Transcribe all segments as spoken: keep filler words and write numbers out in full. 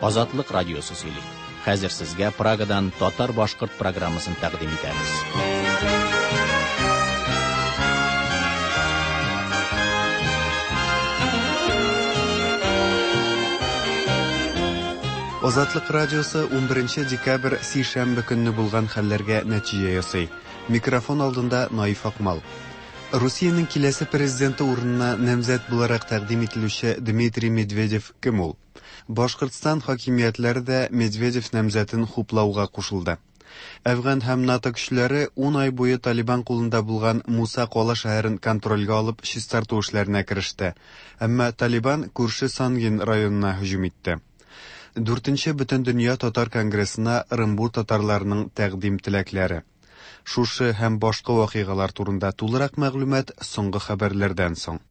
Азатлык радиосы сөйли. Хәзер сезгә Прагадан татар-башкорт программасын тәкъдим итәбез. Азатлык радиосы унберенче декабрь сишәмбе көнне булган хәлләргә нәтиҗә ясый. Микрофон алдында Наиф Акмал. Русиянең киләсе президенты урынына намзәт буларак тәкъдим ителүче Дмитрий Медведев кем ул? Башкортстан хакимиятләре дә Медведев намзәтен хуплауга кушылды. Әфган һәм НАТО көчләре ун ай буе Талибан кулында булган Муса Кала шәһәрен контрольгә алып чистарту эшләренә кереште. Әмма Талибан күрше Сангин районына һөҗүм итте. Дүртенче Бөтендөнья татар конгрессына Ырымбур татарларының тәкъдим теләкләре. Шушы һәм башка вакыйгалар турында тулырак мәгълүмат соңгы хәбәрләрдән соң.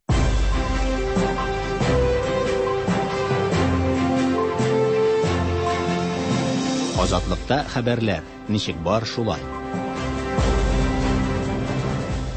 Азатлыкта хәбәрләр ничек бар шулай.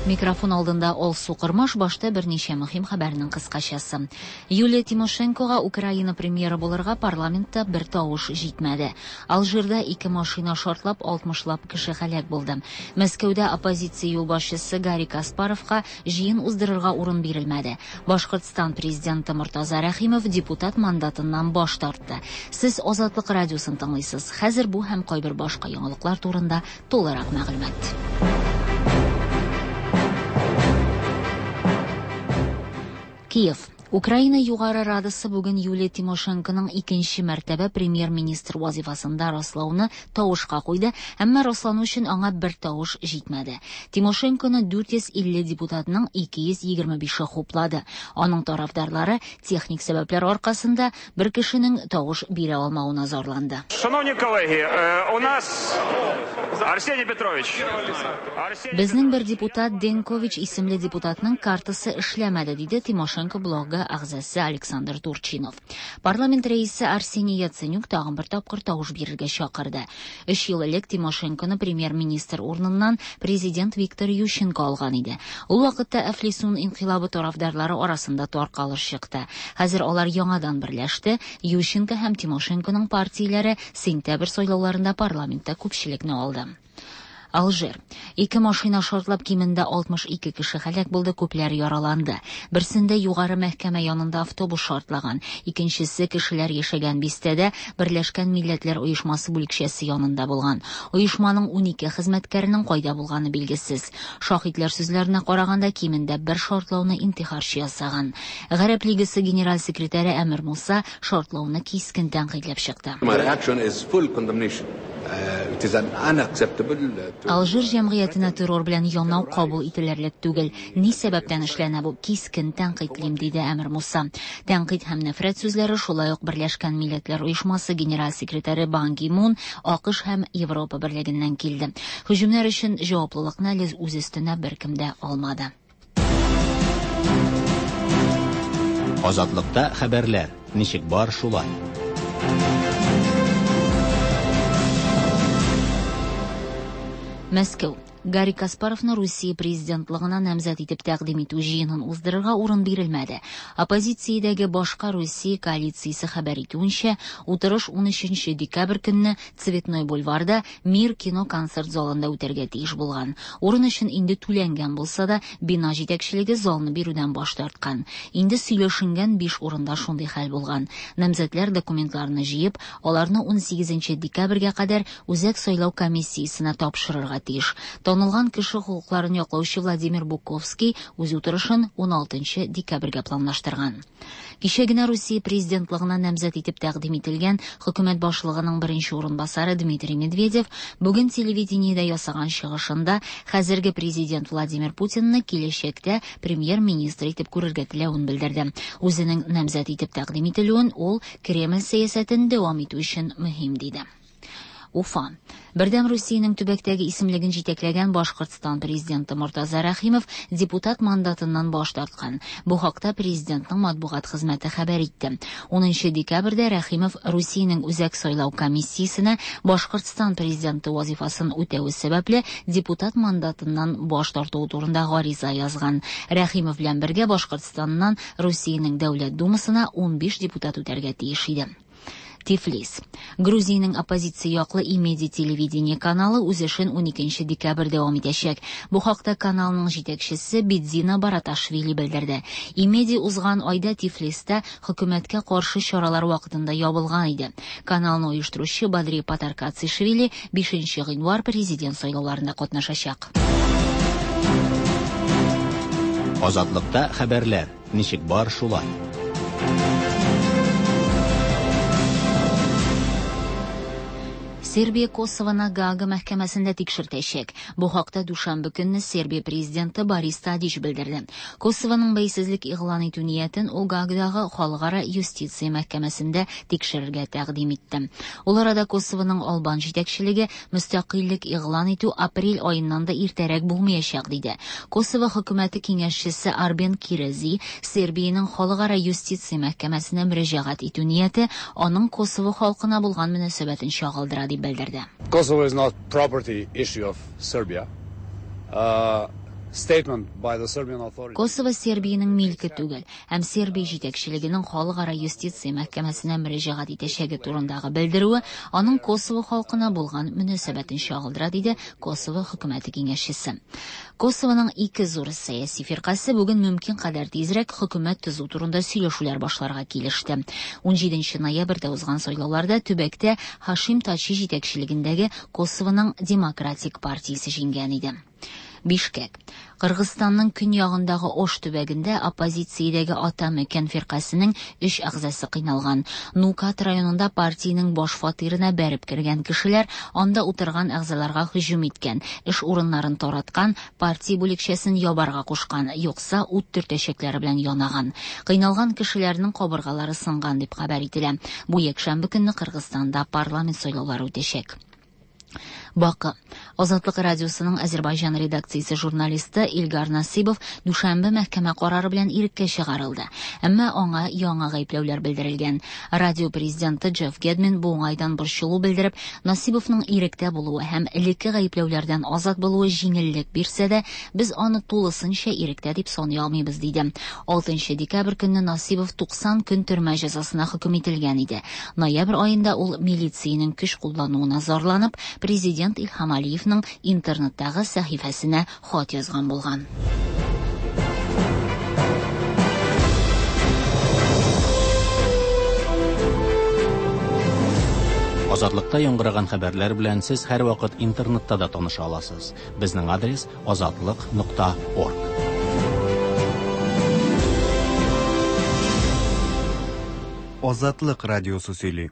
Микрофон алдында Алсу Кырмаш, башта берничә мөһим хәбәрнең кыскачасы. Юлия Тимошенкога Украина премьеры булырга парламентта бер тавыш җитмәде. Алжирда ике машина шартлап, алтмышлап кеше һәлак булды. Мәскәүдә оппозиция юлбашчысы Гарри Каспаровка җыен уздырырга урын бирелмәде. Башкортстан президенты Мортаза Рәхимов депутат мандатыннан баш тартты. Сез Азатлык радиосын тыңлыйсыз. Хәзер бу һәм кайбер башка яңалыклар турында тулырак мәгълүмат. Киев. Украина Югары Радасы бүген Юлия Тимошенконың икенче мәртәбә премьер-министр вазифасында раслауны тавышка куйды, әмма раслану өчен аңа бер тавыш җитмәде. Тимошенконы дүрт йөз илле депутатның ике йөз егерме бише хуплады. Аның тарафдарлары техник сәбәпләр аркасында бер кешенең тавыш бирә алмавына зарланды. Шановні колеги, у нас Арсений Петрович. Безнең бер депутат Денкович исемле депутатның картасы эшләмәде, диде Тимошенко блогы әгъзасы Александр Турчинов. Парламент рәисе Арсений Яценюк тагын бер тапкыр тавыш бирергә чакырды. Өч ел элек Тимошенконы премьер-министр урыныннан президент Виктор Ющенко алган иде. Ул вакытта Әфлисун инкыйлабы тарафдарлары арасында таркалыш чыкты. Хәзер алар яңадан берләште. Ющенко һәм Тимошенконың партияләре сентябрь сайлауларында парламентта күпчелекне алды. Алжир. Ике машина шартлап кимендә алтмыш ике кеше һәлак булды, күпләр яраланды. Берсендә югары мәхкәмә янында автобус шартлаган, икенчесе кешеләр яшәгән бистәдә Берләшкән Милләтләр Оешмасы бүлекчәсе янында булган. Оешманың унике хезмәткәренең кайда булганы билгесез. Шаһитләр сүзләренә караганда кимендә бер шартлауны интихарчы ясаган. Гарәп Лигасы генераль секретаре Әмир Муса шартлауны кискен тәнкыйтьләп чыкты. My reaction is full condemnation. Uh, it is an unacceptable, uh, to Алжир җәмгыятенә террор белән янау кабул ителерлек түгел. Ни сәбәптән эшләнә бу? Кискен тәнкыйтьлим, диде Әмир Муса. Тәнкыйть һәм нәфрәт сүзләре шулай ук Берләшкән Милләтләр Оешмасы генераль секретаре Бан Ги Мун, АКШ һәм Европа Берлегеннән килде. Һөҗүмнәр өчен җаваплылыкны әле үз өстенә беркем дә алмады. Азатлыкта хәбәрләр ничек бар шулай. Мәскәү. Гарри Каспаровны Русия президентлыгына намзәт итеп тәкъдим итү җыенын уздырырга урын бирелмәде. Оппозициядәге башка Русия коалициясе хәбәр итүенчә, утырыш унөченче декабрь көнне Цветной бульварда Мир кино концерт залында үтәргә тиеш булган. Урын өчен инде түләнгән булса да, бина җитәкчелеге залны бирүдән баш тарткан. Инде сөйләшенгән биш урында шундый хәл булган. Намзәтләр документларны җыеп, аларны унсигезенче декабрьгә кадәр Үзәк сайлау комиссиясенә тапшырырга тиеш. Танылган кеше хокукларын яклаучы Владимир Буковский үз утырышын уналтынчы декабрьгә планлаштырган. Кичә генә Русия президентлыгына намзәт итеп тәкъдим ителгән хөкүмәт башлыгының беренче урынбасары Дмитрий Медведев бүген телевидениедә ясаган чыгышында хәзерге президент Владимир Путинны киләчәктә премьер-министр итеп күрергә теләвен белдерде. Үзенең намзәт итеп тәкъдим ителүен ул Кремль сәясәтен дәвам итү өчен мөһим диде. Уфа. Бердәм Русиянең төбәктәге исемлеген җитәкләгән Башкортстан президенты Мортаза Рәхимов депутат мандатыннан баш тарткан. Бу хакта президентның матбугат хезмәте хәбәр итте. Унынчы декабрьдә Рәхимов Русиянең Үзәк сайлау комиссиясенә Башкортстан президенты вазифасын үтәү сәбәпле депутат мандатыннан баш тартуы турында гариза язган. Рәхимов белән бергә Башкортстаннан Русиянең Дәүләт Думасына унбиш депутат үтәргә тиеш иде. Тифлис. Грузиянең оппозиция яклы Имеди телевидение каналы үз эшен уникенче декабрь дәвам итәчәк. Бу хакта каналның җитәкчесе Бидзина Бараташвили белдерде. Имеди узган айда Тифлистә хөкүмәткә каршы чаралар вакытында ябылган иде. Каналны оештыручы Бадри Патаркацишвили бишенче гыйнвар президент сайлауларында катнашачак. Азатлыкта хәбәрләр ничек бар шулай. Сербия Косовоны Гаага мәхкәмәсендә тикшертәчәк. Бу хакта дүшәмбе көнне Сербия президенты Борис Тадич белдерде. Косовоның бәйсезлек игълан итү ниятен ул Гаагадагы халыкара юстиция мәхкәмәсендә тикшерергә тәкъдим итте. Ул арада Косовоның албан җитәкчелеге мөстәкыйльлек игълан итү апрель аеннан да иртәрәк булмаячак диде. Косово хөкүмәте киңәшчесе Арбен Кирези Сербиянең халыкара юстиция мәхкәмәсенә мөрәҗәгать итү нияте аның Косово халкына булган мөнәсәбәтен чагылдыра дип белдерде. Kosovo is not property issue of Serbia. Uh, statement by the Serbian authorities. Косово Сербиянең милке түгел һәм Сербия җитәкчелегенең халыкара юстиция мәхкәмәсенә мөрәҗәгать итәчәге турындагы белдерүе аның Косово халкына булган мөнәсәбәтен чагылдыра, диде Косово хөкүмәте киңәшчесе. Косовоның ике зур сәяси фиркасе бүген мөмкин кадәр тизрәк хөкүмәт төзү турында сөйләшүләр башларга килеште. Унҗиденче ноябрьдә узган сайлауларда төбәктә Хашим Тачи җитәкчелегендәге Косовоның Демократик партиясе җиңгән иде. Бишкек. Кыргызстанның көньягындагы Ош төбәгендә оппозициядәге Ата Мөкән фиркасының өч әгъзасы кыйналган. Нукат районында партиянең баш фатирына бәреп кергән кешеләр анда утырган әгъзаларга һөҗүм иткән, эш урыннарын тараткан, партия бүлекчәсен ябарга кушкан, юкса ут төртәчәкләре белән янаган. Кыйналган кешеләрнең кабыргалары сынган дип хәбәр ителә. Бу якшәмбе көнне Кыргызстанда парламент сайлаулары үтәчәк. Бакы. Азатлык радиосының Азербайҗан редакциясе журналисты Илгар Насибов дүшәмбе мәхкәмә карары белән иреккә чыгарылды. Әмма аңа яңа гаепләүләр белдерелгән. Радио президенты Джефф Гедмин бу уңайдан борчылу белдереп, Насибовның иректә булуы һәм элекке гаепләүләрдән азат булуы җиңеллек бирсә дә, без аны тулысынча иректә дип саный алмыйбыз, диде. Алтынчы декабрь көнне Насибов туксан көн төрмә җәзасына хөкем ителгән иде. Ноябрь аенда ул милициянең көч куллануына зарланып, президент Илһам Алиевның интернеттагы сәхифәсенә хат язган булган. Азатлыкта яңгыраган хәбәрләр белән сез һәрвакыт интернетта да таныша аласыз. Безнең адрес азатлык нокта орг. Азатлык радиосы сөйли.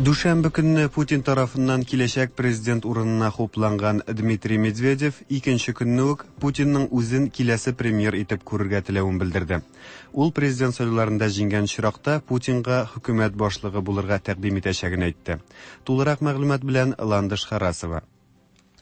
Дүшәмбе көнне Путин тарафыннан киләчәк президент урынына хупланган Дмитрий Медведев икенче көнне үк Путинның үзен киләсе премьер итеп күрергә теләвен белдерде. Ул президент сайлауларында җиңгән очракта Путинга хөкүмәт башлыгы булырга тәкъдим итәчәген әйтте. Тулырак мәгълүмат белән Ландыш Харасова.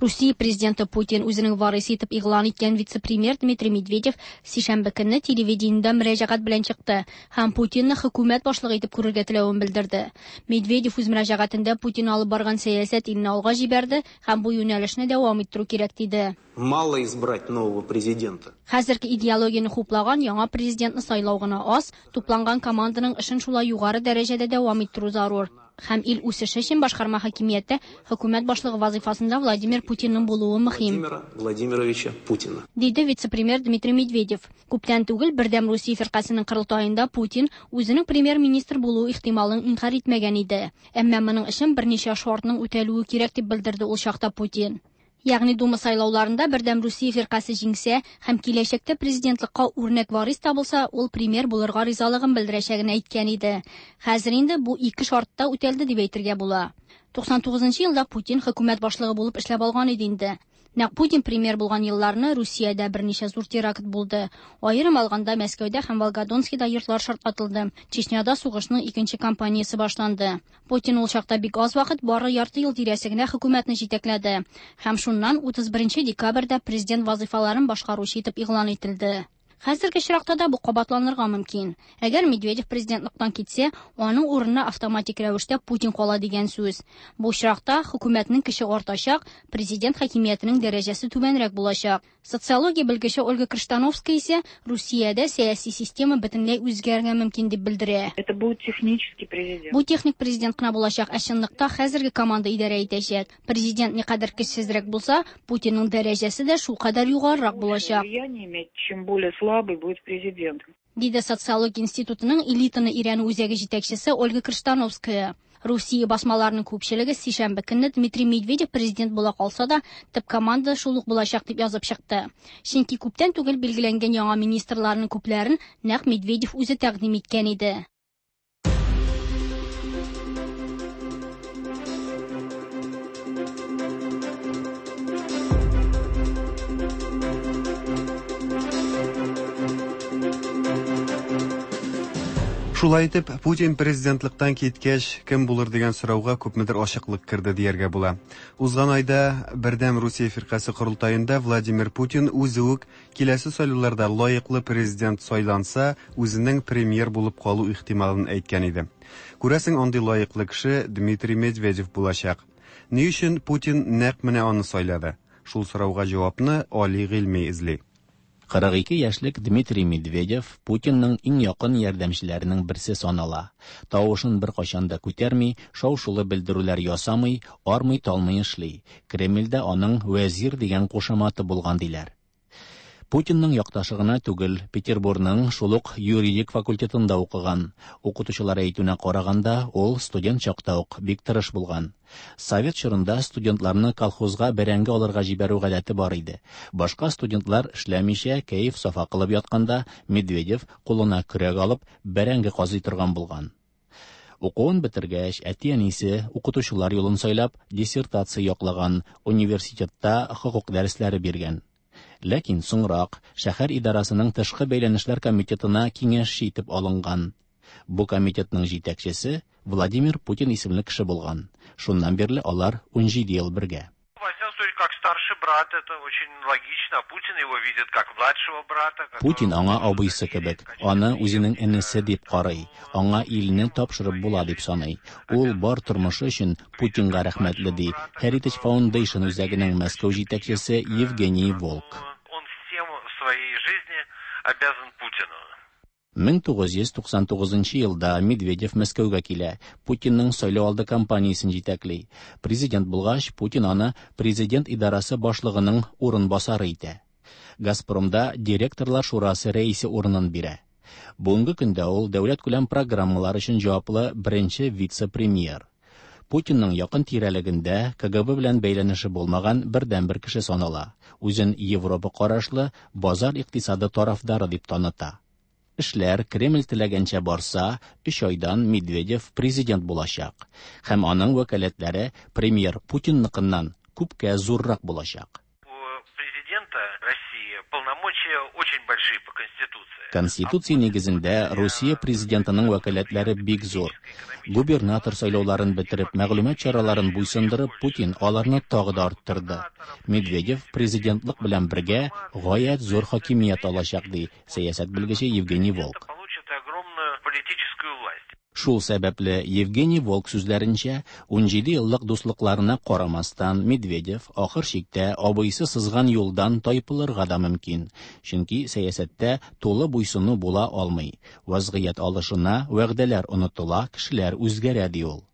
Русия президенты Путин үзенең варисы итеп игълан иткән вице-премьер Дмитрий Медведев сишәмбе көнне телевидениедә мөрәҗәгать белән чыкты һәм Путинны хөкүмәт башлыгы итеп күрергә теләвен белдерде. Медведев үз мөрәҗәгатендә Путин алып барган сәясәт илне алга җибәрде һәм бу юнәлешне дәвам иттерү кирәк диде. Мало избрать нового президента. Хәзерге идеологияне хуплаган яңа президентны сайлау гына аз, тупланган команданың эшен шулай югары дәрәҗәдә дәвам иттерү зарур. Һәм ил үсеше өчен башкарма хакимияттә хөкүмәт башлыгы вазифасында Владимир Путинның булуы мөһим. Владимира Владимировича Путина. Диде вице-премьер Дмитрий Медведев. Күптән түгел Бердәм Русия фиркасының корылтаенда Путин үзенең премьер-министр булуы ихтималын инкар итмәгән иде. Әмма моның өчен берничә шартның үтәлүе кирәк дип белдерде ул чакта Путин. Ягъни Дума сайлауларында Бердәм Русия фиркасе җиңсә һәм киләчәктә президентлыкка үрнәк варис табылса, ул премьер булырга ризалыгын белдерәчәген әйткән иде. Хәзер инде бу ике шартта үтәлде дип әйтергә була. Туксан тугызынчы елда Путин хөкүмәт башлыгы булып эшләп алган иде инде. Нәкъ Путин премьер булган елларны Русиядә берничә зур теракт булды. Аерым алганда Мәскәүдә һәм Волгодонскида йортлар шартлатылды. Чечняда сугышның икенче кампаниясе башланды. Путин ул чакта бик аз вакыт, бары ярты ел тирәсе генә хөкүмәтне җитәкләде. Һәм шуннан утыз беренче декабрьдә президент вазифаларын башкаручы итеп игълан ителде. Хәзерге очракта да бу кабатланырга мөмкин. Әгәр Медведев президентлыктан китсә, аның урынына автоматик рәвештә Путин кала дигән сүз. Бу очракта хөкүмәтнең көче артачак, президент хакимиятенең дәрәҗәсе түбәнрәк булачак. Социология белгече Ольга Крыштановская исә Русиядә сәяси система бөтенләй үзгәрергә мөмкин дип белдерә. Это будет технический президент. Бу техник президент кына булачак, ә чынлыкта хәзерге команда идарә итәчәк. Президент никадәр көчсезрәк булса, Путинның дәрәҗәсе дә шулкадәр югарырак булачак. Влияние иметь, чем более слабый будет президент. Диде Социология институтының элитаны өйрәнү үзәге җитәкчесе Ольга Крыштановская. Русия басмаларының күпчелеге сишәмбе көнне Дмитрий Медведев президент була калса да, төп команда шул ук булачак дип язып чыкты. Чөнки күптән түгел билгеләнгән яңа министрларның күпләрен нәкъ Медведев үзе тәкъдим иткән иде. Шулай итеп, Путин президентлыктан киткәч, кем булыр дигән сорауга күпмедер ачыклык керде дияргә була. Узган айда Бердәм Русия фиркасе корылтаенда Владимир Путин үзе үк киләсе сайлауларда лаеклы президент сайланса, үзенең премьер булып калу ихтималын әйткән иде. Күрәсең, андый лаеклы кеше Дмитрий Медведев булачак. Ни өчен Путин нәкъ менә аны сайлады? Шул сорауга җавапны Али Гыйльми эзли. кырык ике яшьлек Дмитрий Медведев Путинның иң якын ярдәмчеләренең берсе санала. Тавышын беркайчан да күтәрми, шау-шулы белдерүләр ясамый, армый-талмый эшли. Кремльдә аның вәзир дигән кушаматы булган диләр. Путинның якташы гына түгел, Петербургның шул ук юридик факультетында укыган. Укытучылар әйтүенә караганда, ул студент чакта ук бик тырыш булган. Совет чорында студентларны колхозга бәрәңге алырга җибәрү гадәте бар иде. Башка студентлар эшләмичә кәеф-сафа кылып ятканда, Медведев кулына көрәк алып бәрәңге казый торган булган. Укуын бетергәч, әти-әнисе укытучылар юлын сайлап, диссертация яклаган, университетта хокук дәресләре биргән. Ләкин соңрак шәһәр идарасының тышкы бәйләнешләр комитетына киңәшче итеп алынган. Бу комитетның җитәкчесе Владимир Путин исемле кеше булган. Шуннан бирле алар унҗиде ел бергә. Как старший брат, это очень логично. Путин его видит как младшего брата. Путин аңа абыйсы кебек, аны үзенең энесе дип карый, аңа илне тапшырып була дип саный. Ул бар тормышы өчен Путинга рәхмәтле, ди Heritage Foundation үзәгенең Мәскәү җитәкчесе Евгений Волк. Он всем в своей жизни обязан Путину. мең тугыз йөз туксан тугызынчы елда Медведев Мәскәүгә килә, Путинның сайлау алды кампаниясен җитәкли. Президент булгач, Путин аны президент идарасы башлыгының урынбасары итә. Газпромда директорлар шурасы рәисе урынын бирә. Бүгенге көндә ул дәүләт күләм программалар өчен җаваплы беренче вице-премьер. Путинның якын тирәлегендә К Г Б белән бәйләнеше булмаган бердәнбер кеше санала. Үзен Европа карашлы базар икътисады тарафдары дип таныта. Эшләр Кремль теләгәнчә барса, өч айдан Медведев президент булачак. Һәм аның вәкаләтләре премьер Путинныкыннан күпкә зуррак булачак. У президента России полномочия очень большие по Конституции. Конституция нигезендә Русия президентының вәкаләтләре бик зур. Губернатор сайлауларын бетереп, мәгълүмат чараларын буйсындырып, Путин аларны тагы да арттырды. Медведев президентлык белән бергә гаять зур хакимият алачак, ди сәясәт белгече Евгений Волк. Шул сәбәпле Евгений Волк сүзләренчә, унҗиде еллык дуслыкларына карамастан Медведев ахыр чиктә абыйсы сызган юлдан тайпылырга да мөмкин. Чөнки сәясәттә тулы буйсыну була алмый. Вазгыять алышына, вәгъдәләр онытыла, кешеләр үзгәрә, ди ул.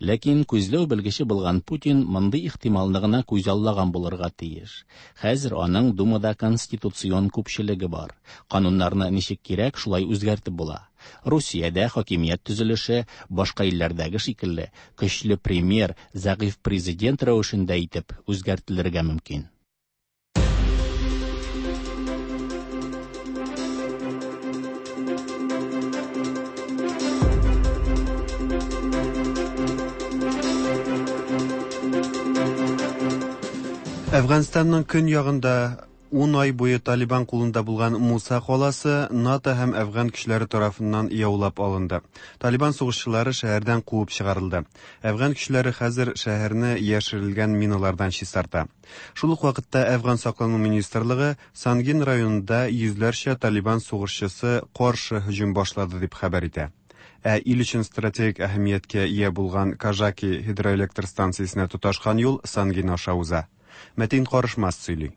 Ләкин күзләү белгече булган Путин мондый ихтималны гына күзаллаган булырга тиеш. Хәзер аның Думада конституцион күпчелеге бар. Кануннарны ничек кирәк, шулай үзгәртеп була. Русиядә хакимият төзелеше башка илләрдәге шикелле көчле премьер, зәгыйфь президент рәвешендә итеп үзгәртелергә мөмкин. Әфганстанның көньягында Ун ай буе Талибан кулында булган Муса каласы НАТО һәм әфган көчләре тарафыннан яулап алынды. Талибан сугышчылары шәһәрдән куып чыгарылды. Әфган көчләре хәзер шәһәрне яшерелгән миналардан чистарта. Шул ук вакытта Әфган саклану министрлыгы Сангин районында йөзләрчә Талибан сугышчысы каршы һөҗүм башлады дип хәбәр итә. Ә ил өчен стратегик әһәмияткә ия булган Кажаки гидроэлектр станциясенә тоташкан юл Сангин аша уза. Мәтин Карышмас сөйли.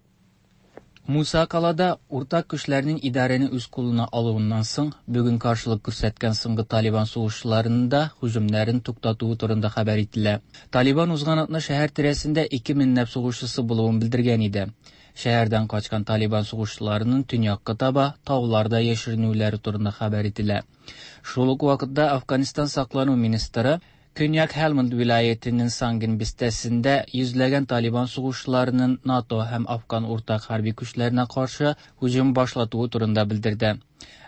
Муса калада уртак күчләрнең идарәне үз кулына алуыннан соң, бүген каршылык күрсәткән соңгы Талибан сугышчыларының да һөҗүмнәрен туктатуы турында хәбәр ителә. Талибан узган атна шәһәр тирәсендә ике меңләп сугышчысы булуын белдергән иде. Шәһәрдән качкан Талибан сугышчыларының төньякка таба тауларда яшеренүләре турында хәбәр ителә. Шул ук вакытта Афганистан саклану министры Көньяк Һелманд вилаятенең Сангин бистәсендә йөзләгән Талибан сугышчыларының НАТО һәм Афган уртак хәрби көчләренә каршы һөҗүм башлатуы турында белдерде.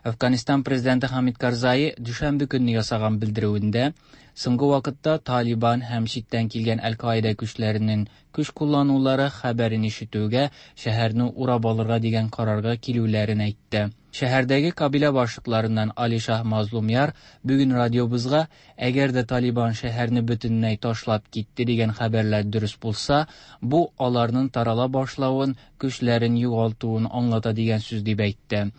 Афганистан президенты Хамид Карзаи дүшәмбе көнне ясаган белдерүендә соңгы вакытта Талибан һәм читтән килгән Әл-Каида көчләренең көч кулланулары хәбәрен ишетүгә шәһәрне урап алырга дигән карарга килүләрен әйтте. Шәһәрдәге кабилә башлыкларыннан Алишах Мазлумяр бүген радиобызга, әгәр дә Талибан шәһәрне бөтенләй ташлап китте дигән хәбәрләр дөрес булса, бу аларның тарала башлавын, көчләрен югалтуын аңлата дигән сүз дип әйтте.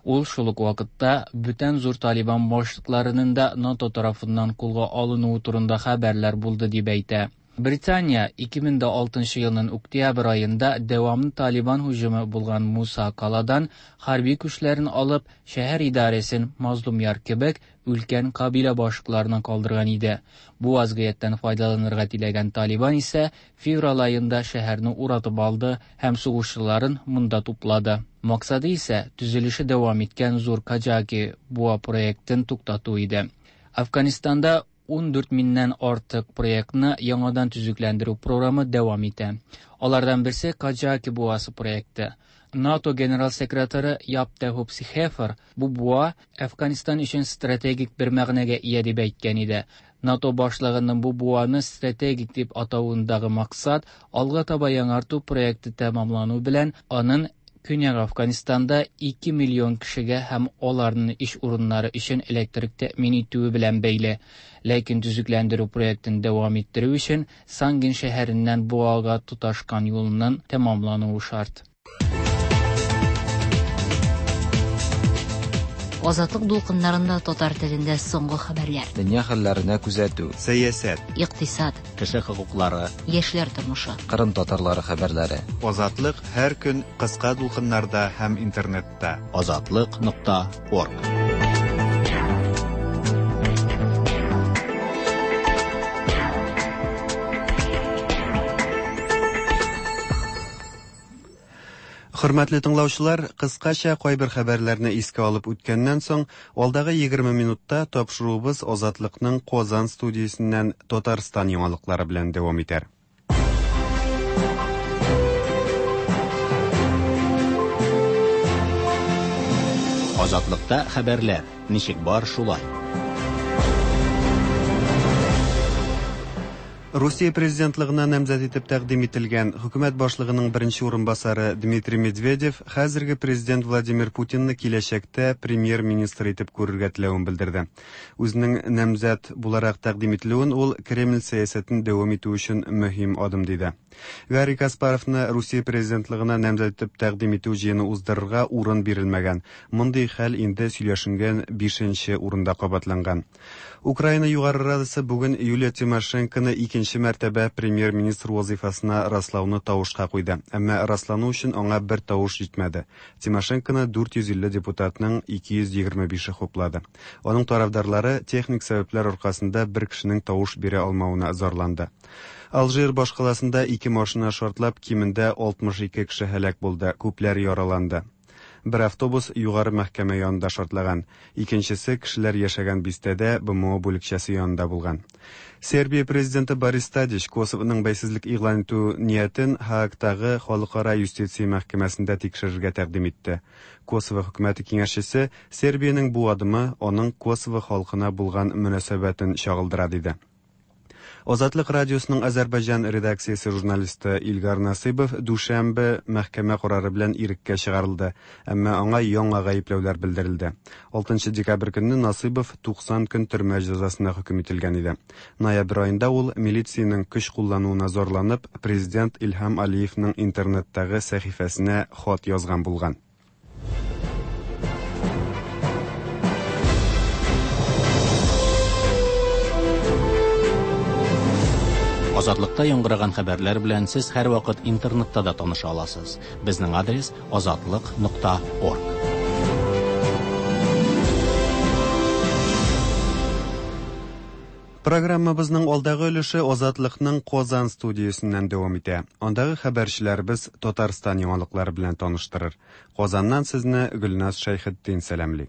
Ул шул ук вакытта бүтән зур Талибан башлыкларының да НАТО тарафыннан кулга алынуы турында хәбәрләр булды дип әйтә. Британия ике мең алтынчы елның октябрь аенда дәвамлы Талибан һөҗүме булган Муса каладан хәрби көчләрен алып, шәһәр идарәсен Мазлумяр кебек өлкән кабилә башлыкларына калдырган иде. Бу вазгыятьтән файдаланырга теләгән Талибан исә февраль аенда шәһәрне уратып алды һәм сугышчыларын монда туплады. Максаты исә төзелеше дәвам иткән зур Кажаки буа проектын туктату иде. Афганистанда ун дүрт меңнән артык проектны яңадан төзекләндерү програмы дәвам итә. Алардан берсе Кажаки буасы проекты. НАТО генерал секретаре Яп де Хоп Схефер бу буа Афганистан өчен стратегик бер мәгънәгә ия дип әйткән иде. НАТО башлыгының бу буаны стратегик дип атавындагы максат алга таба яңарту проекты тәмамлану белән аның Көньяк Афганистанда ике миллион кешегә һәм аларның эш урыннары өчен электрик тәэмин итүе белән бәйле. Ләкин төзекләндерү проектын дәвам иттерү өчен Сангин шәһәреннән буага тоташкан юлның тәмамлануы шарт. Азатлык дулкыннарында татар телендә соңгы хәбәрләр. Дөнья хәлләренә күзәтү, сәясәт, икътисад, кеше хокуклары, яшьләр тормышы, Кырым татарлары хәбәрләре. Азатлык һәр көн кыска дулкыннарда һәм интернетта. Азатлык нокта орг. Хөрмәтле тыңлаучылар, кыскача кайбер хәбәрләрне искә алып үткәннән соң, алдагы егерме минутта тапшыруыбыз Азатлыкның Казан студиясеннән Татарстан яңалыклары белән дәвам итәр. Азатлыкта хәбәрләр ничек бар шулай. Русия президентлыгына намзәт итеп тәкъдим ителгән хөкүмәт башлыгының беренче урынбасары Дмитрий Медведев хәзерге президент Владимир Путинны киләчәктә премьер-министр итеп күрергә теләвен белдерде. Үзенең намзәт буларак тәкъдим ителүен ул Кремль сәясәтен дәвам итү өчен мөһим адым диде. Гарри Каспаровны Русия президентлыгына намзәт итеп тәкъдим итү җыены уздырырга урын бирелмәгән. Мондый хәл инде сөйләшенгән бишенче урында кабатланган. Украина Югары Радасы бүген Юлия Тимошенконы икенче мәртәбә премьер-министр вазифасына раслауны тавышка куйды. Әмма раслану өчен аңа бер тавыш җитмәде. Тимошенконы дүрт йөз илле депутатның ике йөз егерме бише хуплады. Аның тарафдарлары техник сәбәпләр аркасында бер кешенең тавыш бирә алмавына зарланды. Алжир башкаласында ике машина шартлап, кимендә алтмыш ике кеше һәлак булды, күпләр яраланды. Бер автобус югары мәхкәмә янында шартлаган, икенчесе кешеләр яшәгән бистәдә Б М О бүлекчәсе янында булган. Сербия президенты Борис Тадич Косовоның бәйсезлек игълан итү ниятен Һаагтагы Халыкара юстиция мәхкәмәсендә тикшерергә тәкъдим итте. Косово хөкүмәте киңәшчесе Сербиянең бу адымы аның Косово халкына булган мөнәсәбәтен чагылдыра диде. Азатлык радиосының Азәрбайҗан редакциясе журналисты Илгар Насыйбов дүшәмбе мәхкәмә карары белән иреккә чыгарылды, әмма аңа яңа гаепләүләр белдерелде. алтынчы декабрь көнне Насыйбов туксан көн төрмә җәзасына хөкем ителгән иде. Ноябрь аенда ул милициянең көч куллануына зарланып, президент Илһам Алиевның интернеттагы сәхифәсенә хат язган булган. Азатлыкта яңгыраган хәбәрләр белән сез һәрвакыт интернетта да таныша аласыз. Безнең адрес азатлык нокта орг. Программабызның алдагы өлеше Азатлыкның Казан студиясеннән дәвам итә. Андагы хәбәрчеләребез Татарстан яңалыклары белән таныштырыр. Казаннан сезне Гөлназ Шәйхетдин сәламли.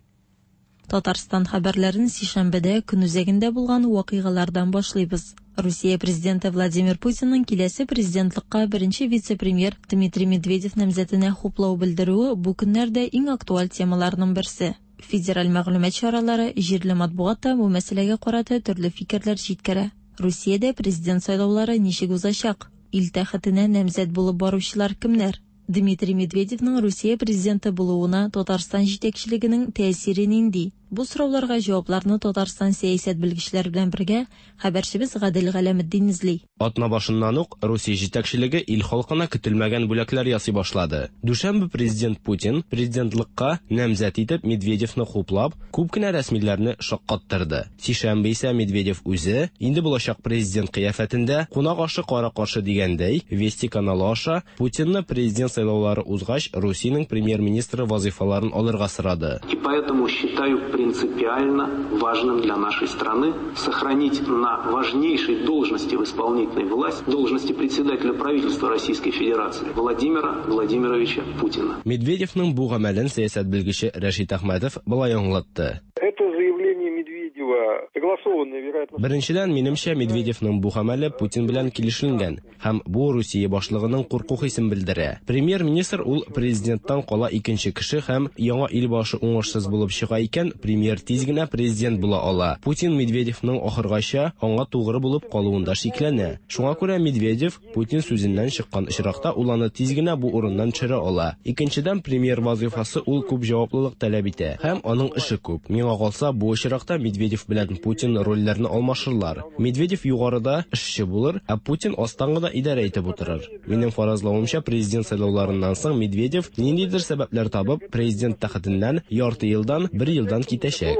Татарстан хәбәрләрен сишәмбедә көн үзәгендә булган вакыйгалардан башлыйбыз. Русия президенты Владимир Путинның киләсе президентлыкка беренче вице-премьер Дмитрий Медведев намзәтенә хуплау белдерүе бу көннәрдә иң актуаль темаларның берсе. Федераль мәгълүмат чаралары, җирле матбугат та бу мәсьәләгә карата төрле фикерләр җиткерә. Русиядә президент сайлаулары ничек узачак? Ил тәхетенә намзәт булып баручылар кемнәр? Дмитрий Медведевның Русия президенты булуына Татарстан җитәкчелегенең тәэсире нинди? Бу сорауларга җавапларны Татарстан сәясәт белгечләре белән бергә хәбәрчебез Гадел Галәметдин эзли. Атна башыннан ук Русия җитәкчелеге ил халкына көтелмәгән бүләкләр ясый башлады. Дүшәмбе президент Путин президентлыкка намзәт итеп Медведевны хуплап, күп кенә рәсмиләрне шаккаттырды. Сишәмбе исә Медведев үзе инде булачак президент кыяфәтендә кунак ашы кара-каршы дигәндәй Вести каналы аша Путинны президент сайлаулары узгач Русиянең премьер-министры вазыйфаларын алырга сорады. И поэтому считаю принципиально важным для нашей страны сохранить на важнейшей должности в исполнительной власти, должности председателя правительства Российской Федерации Владимира Владимировича Путина. Медведевның бу гамәлен сәясәт белгече Рәшит Әхмәтов болай аңлатты. Это заявление Медведева согласованное, вероятно. Беренчедән, минемчә, Медведевның бу гамәле Путин белән килешенгән һәм бу Русия башлыгының курку хисен белдерә. Премьер-министр ул президенттан кала икенче кеше һәм яңа ил башы уңышсыз булып чыга икән, премьер тиз генә президент була ала. Путин Медведевның ахыргача аңа тугры булып калуында шикләнә. Шуңа күрә Медведев Путин сүзеннән чыккан очракта ул аны тиз генә бу урыннан төшерә ала. Икенчедән, премьер вазифасы ул күп җаваплылык таләп итә һәм аның эше күп. Миңа калса, бу очракта Медведев белән Путин рольләрне алмашырлар. Медведев югарыда эшче булыр, ә Путин астан гына идарә итеп утырыр. Минем фаразлавымча, президент сайлауларыннан соң Медведев ниндидер сәбәпләр табып, президент тәхетеннән ярты елдан, бер елдан китәчәк.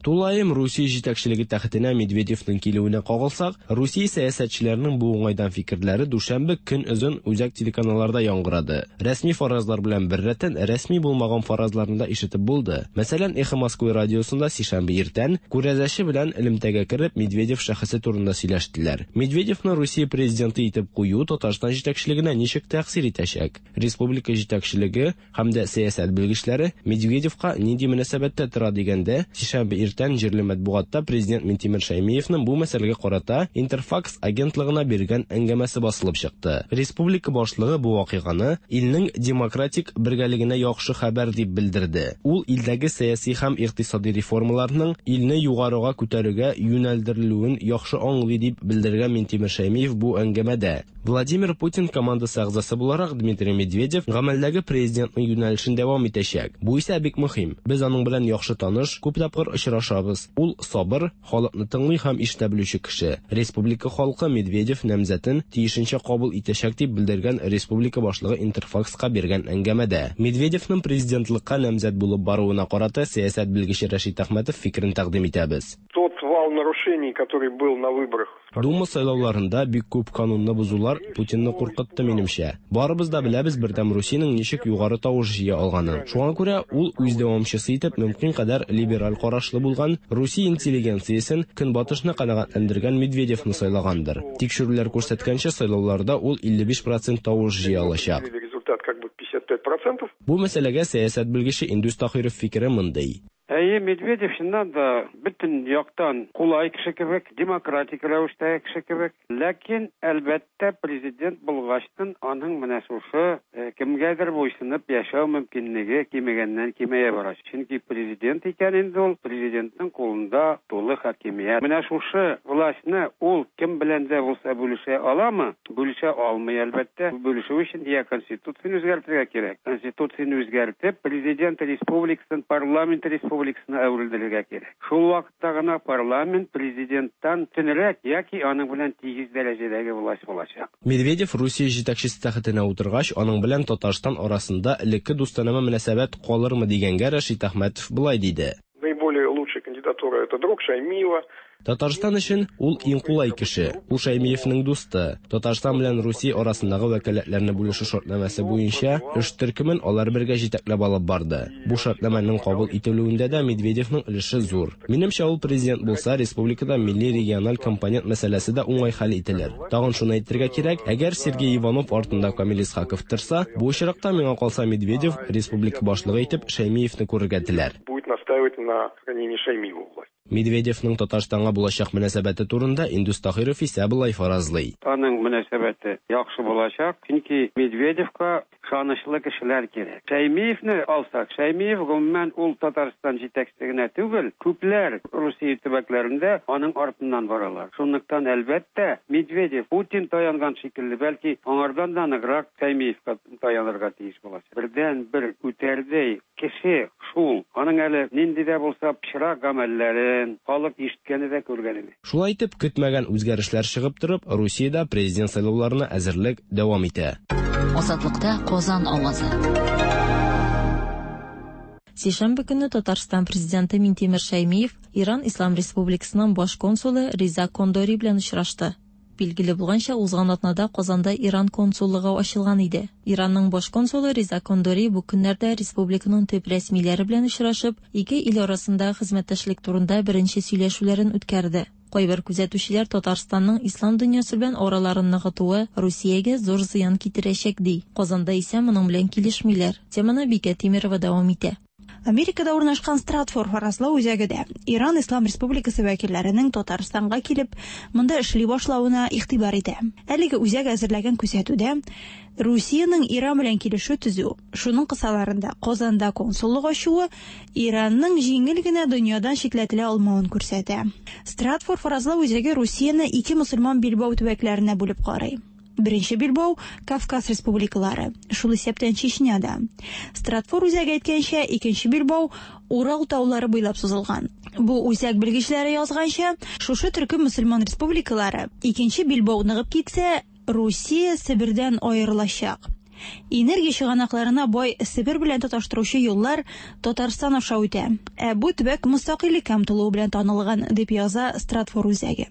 Тулаем Русия җитәкчелеге тәхетенә Медведевның килүенә кагылсак, Русия сәясәтчеләренең бу уңайдан фикерләре дүшәмбе көн озын үзәк телеканалларда яңгырады. Рәсми фаразлар белән беррәттән рәсми булмаган фаразларны да ишетеп булды. Мәсәлән, Эхо Москвы радиосында сишәмбе иртән күрәзәче белән элемтәгә кереп Медведев шәхесе турында сөйләштеләр. Медведевны Русия президенты итеп кую Татарстан җитәкчелегенә ничек тәэсир итәчәк? Республика җитәкчелеге һәм дә сәясәт белгечләре Медведевка нинди мөнәсәбәттә тора дигәндә, сишәмбе иртән җирле матбугатта президент Минтимер Шәймиевның бу мәсьәләгә карата Интерфакс агентлыгына биргән әңгәмәсе басылып чыкты. Республика башлыгы бу вакыйганы илнең демократик бергәлегенә яхшы хәбәр дип белдерде. Ул илдәге сәяси һәм икътисади реформаларның илне югарыга күтәрүгә юнәлдерелүен яхшы аңлый дип белдергән Минтимер Шәймиев бу әңгәмәдә. Владимир Путин командасы әгъзасы буларак Дмитрий Медведев гамәлдәге президентның юнәлешен дәвам итәчәк. Бу исә бик мөһим. Без аның белән яхшы таныш, күп тапкыр очрашабыз. Ул сабыр, халыкны тыңлый һәм ишетә белүче кеше. Республика халкы Медведев намзәтен тиешенчә кабул итәчәк дип белдергән республика башлыгы Интерфакска биргән әңгәмәдә. Медведевның президентлыкка намзәт булып баруына карата сәясәт белгече Рәшит Әхмәтов фикерен тәкъдим итәбез. Тот вал нарушений, который был на выборах. Дума сайлауларында бик күп канунны бозулар Путинны куркытты минемчә. Барыбыз да беләбез Бердәм Русиянең ничек югары тавыш җыя алганын. Шуңа күрә ул үз дәвамчысы итеп мөмкин кадәр либераль карашлы булган Русия интеллигенциясен көнбатышны канәгатьләндергән Медведевны сайлагандыр. Тикшерүләр күрсәткәнчә, сайлауларда ул илле биш процент тавыш җыя алачак. Результат как бы пятьдесят пять процентов. Бу мәсьәләгә сәясәт белгече Индус Таһиров фикере мондый. Әйе, Медведев чыннан да бөтен яктан кулай кеше кебек, демократик рәвештәге кеше кебек. Ләкин, әлбәттә, президент булгачтын аның менә шушы кемгәдер буйсынып яшәү мөмкинлеге кимегәннән кимәя бара. Чөнки президент икән инде ул, президентның кулында тулы хакимият. Менә шушы властьны ул кем белән дә булса бүлешә аламы? Бүлешә алмый, әлбәттә. Бүлешү өчен я конституцияне үзгәртергә кирәк. Конституцияне үзгәртеп, президент республикасын парламент республикасына әверелдерергә кирәк. Шул вакытта гына парламент президенттан төнрәк яки аның белән тигез дәрәҗәдәге власть булачак. Медведев Русия җитәкчесе тәхетенә утыргач, аның белән Татарстан арасында элекке дустанә мөнәсәбәт калырмы дигәнгә Рәшит Әхмәтов болай диде. Наиболее лучшая кандидатура это друг Шаймиева. Татарстан өчен ул иң кулай кеше. Ул Шаймиевның дусты. Татарстан белән Русия арасындагы вәкаләтләрне бүлешү шартнамәсе буенча эш төркемен алар бергә җитәкләп алып барды. Бу шартнамәнең кабул ителүендә дә Медведевның өлеше зур. Минемчә, ул президент булса, республикада милли региональ компонент мәсьәләсе дә уңай хәл ителер. Тагын шуны әйтергә кирәк, әгәр Сергей Иванов артында Камил Исхаков торса, бу очракта миңа калса Медведев республика башлыгы итеп Шаймиевны күрергә теләр. Будет настаивать на сохранении Шаймиева власти. Медведевның Татарстанга булачак мөнәсәбәте турында Индус Таһиров исә болай фаразлый. Аның мөнәсәбәте яхшы булачак, чөнки Медведевка ышанычлы кешеләр кирәк. Шаймиевны алсак, Шаймиев гомумән ул Татарстан җитәкчесе генә түгел, күпләр Русия төбәкләрендә аның артыннан баралар. Шунлыктан әлбәттә Медведев Путин таянган шикелле, бәлки аңардан да ныграк Шаймиевка таянырга тиеш булачак. Бердән бер үтәрдәй кеше шул. Аның әле нинди дә булса пычрак гамәлләрен халык ишеткәне дә күргәне. Шулай итеп, көтмәгән үзгәрешләр чыгып торып, Русиядә президент сайлауларына әзерлек дәвам итә. Азатлыкта Казан авазы. Сишәмбе көнне Татарстан президенты Минтимер Шаймиев Иран Ислам Республикасының баш консулы Риза Кондори белән очрашты. Билгеле булганча, узган атнада Казанда Иран консуллыгы ачылган иде. Иранның баш консулы Риза Кондори бу көннәрдә республиканың төп рәсмиләре белән очрашып, ике ил арасындагы хезмәттәшлек турында беренче сөйләшүләрен үткәрде. Кайбер күзәтүчеләр Татарстанның ислам дөньясы белән араларын ныгытуы Русиягә зур зыян китерәчәк ди. Казанда исә моның белән килешмиләр. Теманы Бикә Тимирова дәвам итә. Америкада урнашкан Стратфор фаразлау үзәге дә Иран Ислам Республикасы вәкилләренең Татарстанга килеп, монда эшли башлавына игътибар итә. Әлеге үзәк әзерләгән күзәтүдә Русиянең Иран белән килешү төзү, шуның кысаларында Казанда консуллык ачуы Иранның җиңел генә дөньядан читләтелә алмавын күрсәтә. Стратфор фаразлау үзәге Русияне ике мөселман билбау төбәкләренә бүлеп карый. Беренче билбау Кавказ республикалары, шул исәптән Чечняда. Стратфор үзәге әйткәнчә, икенче билбау Урал таулары буйлап сузылган. Бу үзәк белгечләре язганча, шушы төркем мөселман республикалары икенче билбау ныгып китсә, Русия Себердән аерылачак. Энергия чыганакларына бай Себер белән тоташтыручы юллар Татарстан аша үтә. Ә бу төбәк мөстәкыйльлеккә омтылуы белән танылган, дип яза Стратфор үзәге.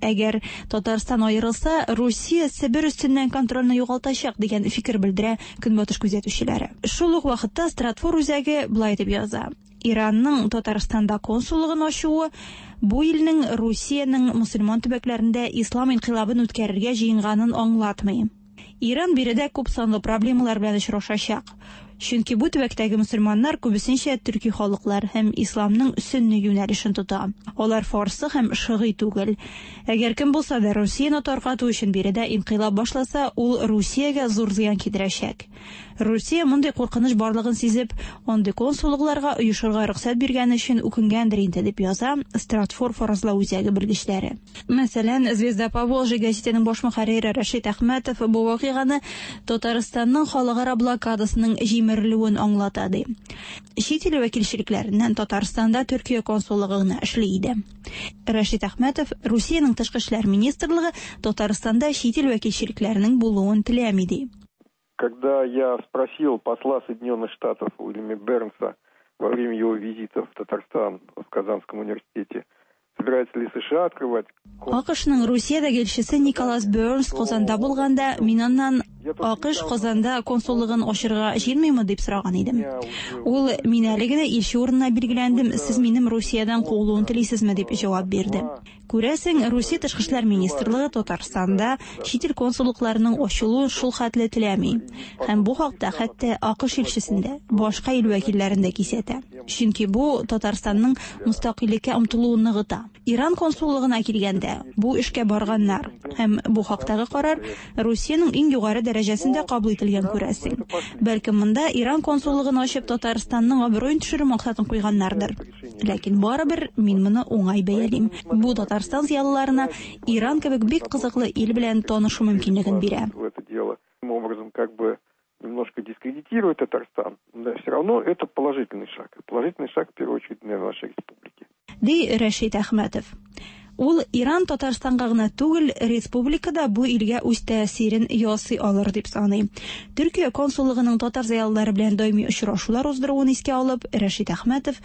Әгәр Татарстан аерылса, Русия Себер өстеннән контрольне югалтачак дигән фикер белдерә Көнбатыш күзәтүчеләре. Шул ук вакытта Стратфор үзәге болай дип яза: Иранның Татарстанда консуллыгын ачуы бу илнең Русиянең мөселман төбәкләрендә ислам инкыйлабын үткәрергә җыенганын аңлатмый. Иран биредә күп санлы проблемалар белән очрашачак. Чөнки бу төбәктәге мөселманнар күбесенчә төрки халыклар һәм исламның сөнни юнәлешен тота. Алар фарсы һәм шигый түгел. Әгәр кем булса да Русияне таркату өчен биредә инкыйлаб башласа, ул Русиягә зур зыян китерәчәк. Русия мондый куркыныч барлыгын сизеп, андый консуллыкларга оешырга рөхсәт биргән өчен үкенгәндер инде, дип яза Стратфор фаразлау үзәге белгечләре. Мәсәлән, Звезда Поволжья гәзитенең баш мөхәррире Рәшит Әхмәтов бу вакыйганы Татарстанның халыкара блокадасының җимерелүен аңлата ди. Чит ил вәкилчелекләреннән Татарстанда Төркия консуллыгы гына эшли иде. Рәшит Әхмәтов Русиянең тышкы эшләр министрлыгы Татарстанда чит ил вәкилчелекләренең булуын теләми ди. Когда я спросил посла Соединенных Штатов Уильяма Бернса во время его визита в Татарстан в Казанском университете, собирается ли США открывать... АКШның Русиядәге илчесе Николас Бернс Казанда булганда, мин аннан АКШ Казанда консуллыгын ачырга җыенмыймы дип сораган идем. Ул: "Мин әле генә илче урынына билгеләндем, сез минем Русиядән куылуын телисезме?" дип җавап бирде. Күрәсең, Русия Тышкы эшләр министрлыгы Татарстанда чит ил консуллыкларының ачылуын шул хәтле теләми. Һәм бу хакта хәтта АКШ илчесен дә, башка ил вәкилләрен дә кисәтә. Чөнки бу Татарстанның мөстәкыйльлеккә омтылуын ныгыта. Иран консуллыгына килгәндә, бу эшкә барганнар. Һәм бу хактагы карар Русиянең иң югары дәрәҗәсендә кабул ителгән, күрәсең. Бәлкем монда Иран консуллыгын ачып Татарстанның абруен төшерү максатын куйганнардыр. Ләкин барыбер мин моны уңай бәялим. Бу Татарстан зыялыларына Иран кебек бик кызыклы ил белән танышу мөмкинлеген бирә. Образом, как бы немножко дискредитирует Татарстан, да, все равно это положительный шаг. Положительный шаг, в первую очередь, для нашей республики. Ди Рәшит Әхмәтов. Ул Иран Татарстанга гына түгел, республикада бу илгә үз тәэсирен ясый алыр дип саный. Төркия консуллыгының татар зыялылары белән даими очрашулар уздыруын искә алып, Рәшит Әхмәтов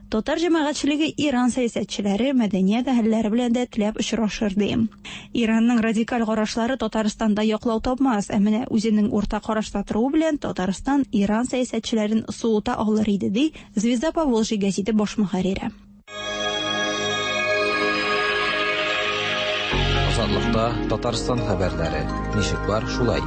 татар җәмәгатьчелеге Иран сәясәтчеләре, мәдәният әһелләре белән дә теләп очрашыр ди. Иранның радикаль карашлары Татарстанда яклау тапмас, ә менә үзенең урта карашта торуы белән Татарстан Иран сәясәтчеләрен суыта алыр иде, ди Звезда Поволжья гәзите баш мөхәррире. Азатлыкта Татарстан хәбәрләре. Ничек бар, шулай.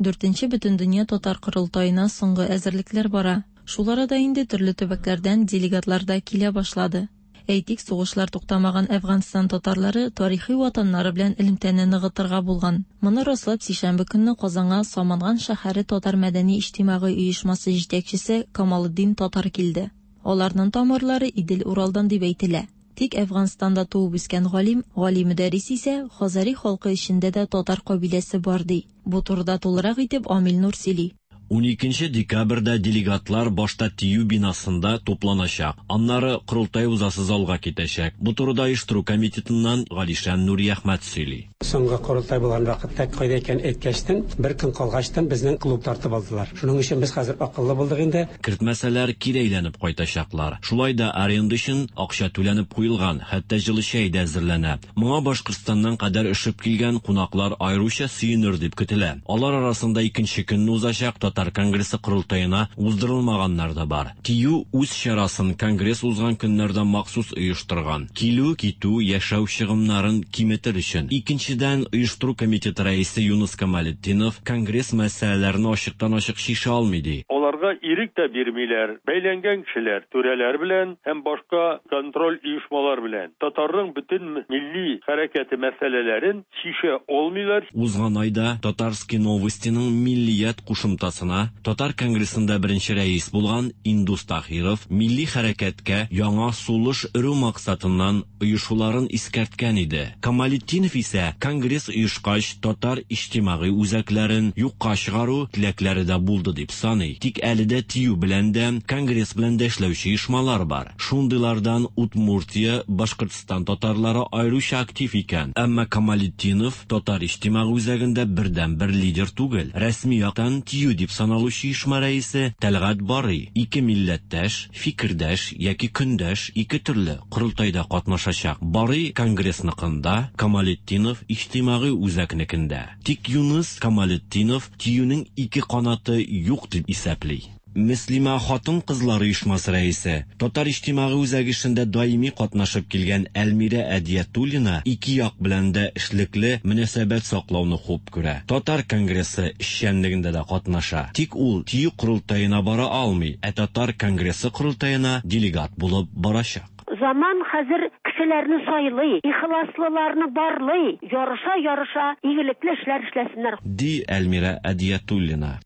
Дүртенче Бөтендөнья татар корылтаена соңгы әзерлекләр бара. Шул арада инде төрле төбәкләрдән делегатлар да килә башлады. Әйтик, сугышлар туктамаган Әфганстан татарлары тарихи ватаннары белән элемтәне ныгытырга булган. Моны раслап сишәмбе көнне Казанга Саманган шәһәре татар мәдәни иҗтимагый оешмасы җитәкчесе Камалетдин Татар килде. Аларның тамырлары Идел-Уралдан дип әйтелә. Тик Әфганстанда туып үскән галим, Гали Мөдәррис исә Хазари халкы эчендә дә татар кабиләсе бар ди. Бу турыда тулырак итеп Амил Нур сөйли. Уникенче декабрьдә делегатлар башта ТИЮ бинасында тупланачак. Аннары корылтай узасы залга китәчәк. Бу турыда оештыру комитетыннан Галишан Нуриәхмәт сөйли. Соңгы корылтай булган вакытта кайда икән әйткәчтен, бер көн калгачтан безнең клуб тартып алдылар. Шуның өчен без хәзер акыллы булдык инде. Кертмәсәләр кире әйләнеп кайтачаклар. Шулай да аренда өчен акча түләнеп куелган, хәтта җылы чәй дә әзерләнә. Моңа Башкортстаннан кадәр өшеп килгән кунаклар аеруча сөенер дип көтелә. Алар арасында икенче көнне узачак Татар конгрессы корылтаена уздырылмаганнар да бар. ТИЮ үз чарасын конгресс узган көннәрдә махсус оештырган. Килү, китү, яшәү чыгымнарын киметер өчен. Икенчедән, оештыру комитеты рәисе Юныс Камалетдинов конгресс мәсьәләләрен ачыктан-ачык шиша алмый ди. Аларга ирек тә бирмиләр. Бәйләнгән кешеләр, түрәләр белән һәм башка контроль оешмалар белән татарның бөтен милли хәрәкәте мәсьәләләрен шиша алмыйлар. Узган айда Татарские новостиның миллият кушымтасына Татар конгрессында беренче рәис булган Индус Тахиров милли хәрәкәткә яңа сулыш өрү максатыннан оешуларын искәрткән иде. Камалетдинов исә конгресс оешкач татар иҗтимагый үзәкләрен юкка чыгару теләкләре дә булды дип саный. Тик әле дә ТИЮ белән дә, конгресс белән дә эшләүче оешмалар бар. Шундыйлардан Удмуртия, Башкортстан татарлары аеруча актив икән. Әмма Камалетдинов татар иҗтимагый үзәгендә бердән-бер лидер түгел. Рәсми яктан ТИЮ дип саналучы оешма рәисе Тәлгать Барый ике милләттәш, фикердәш яки көндәш ике төрле корылтайда катнашачак. Барый конгрессныкында, Камалетдинов иҗтимагый үзәкнекендә. Тик Юныс Камалетдинов ТИЮнең ике канаты юк дип исәпли. Мөслимә хатын-кызлар оешмасы рәисе, Татар иҗтимагый үзәге эшендә даими катнашып килгән Әлмирә Әдиятуллина ике як белән дә эшлекле мөнәсәбәт саклауны хуп күрә. Татар конгрессы эшчәнлегендә дә катнаша. Тик ул ТИЮ корылтаена бара алмый, ә Татар конгрессы корылтаена делегат булып барачак. Заман хәзер кешеләрне сайлый, ихласлыларны барлый, ярыша-ярыша игелекле эшләр эшләсеннәр. Ди Әлмирә Әдиятуллина.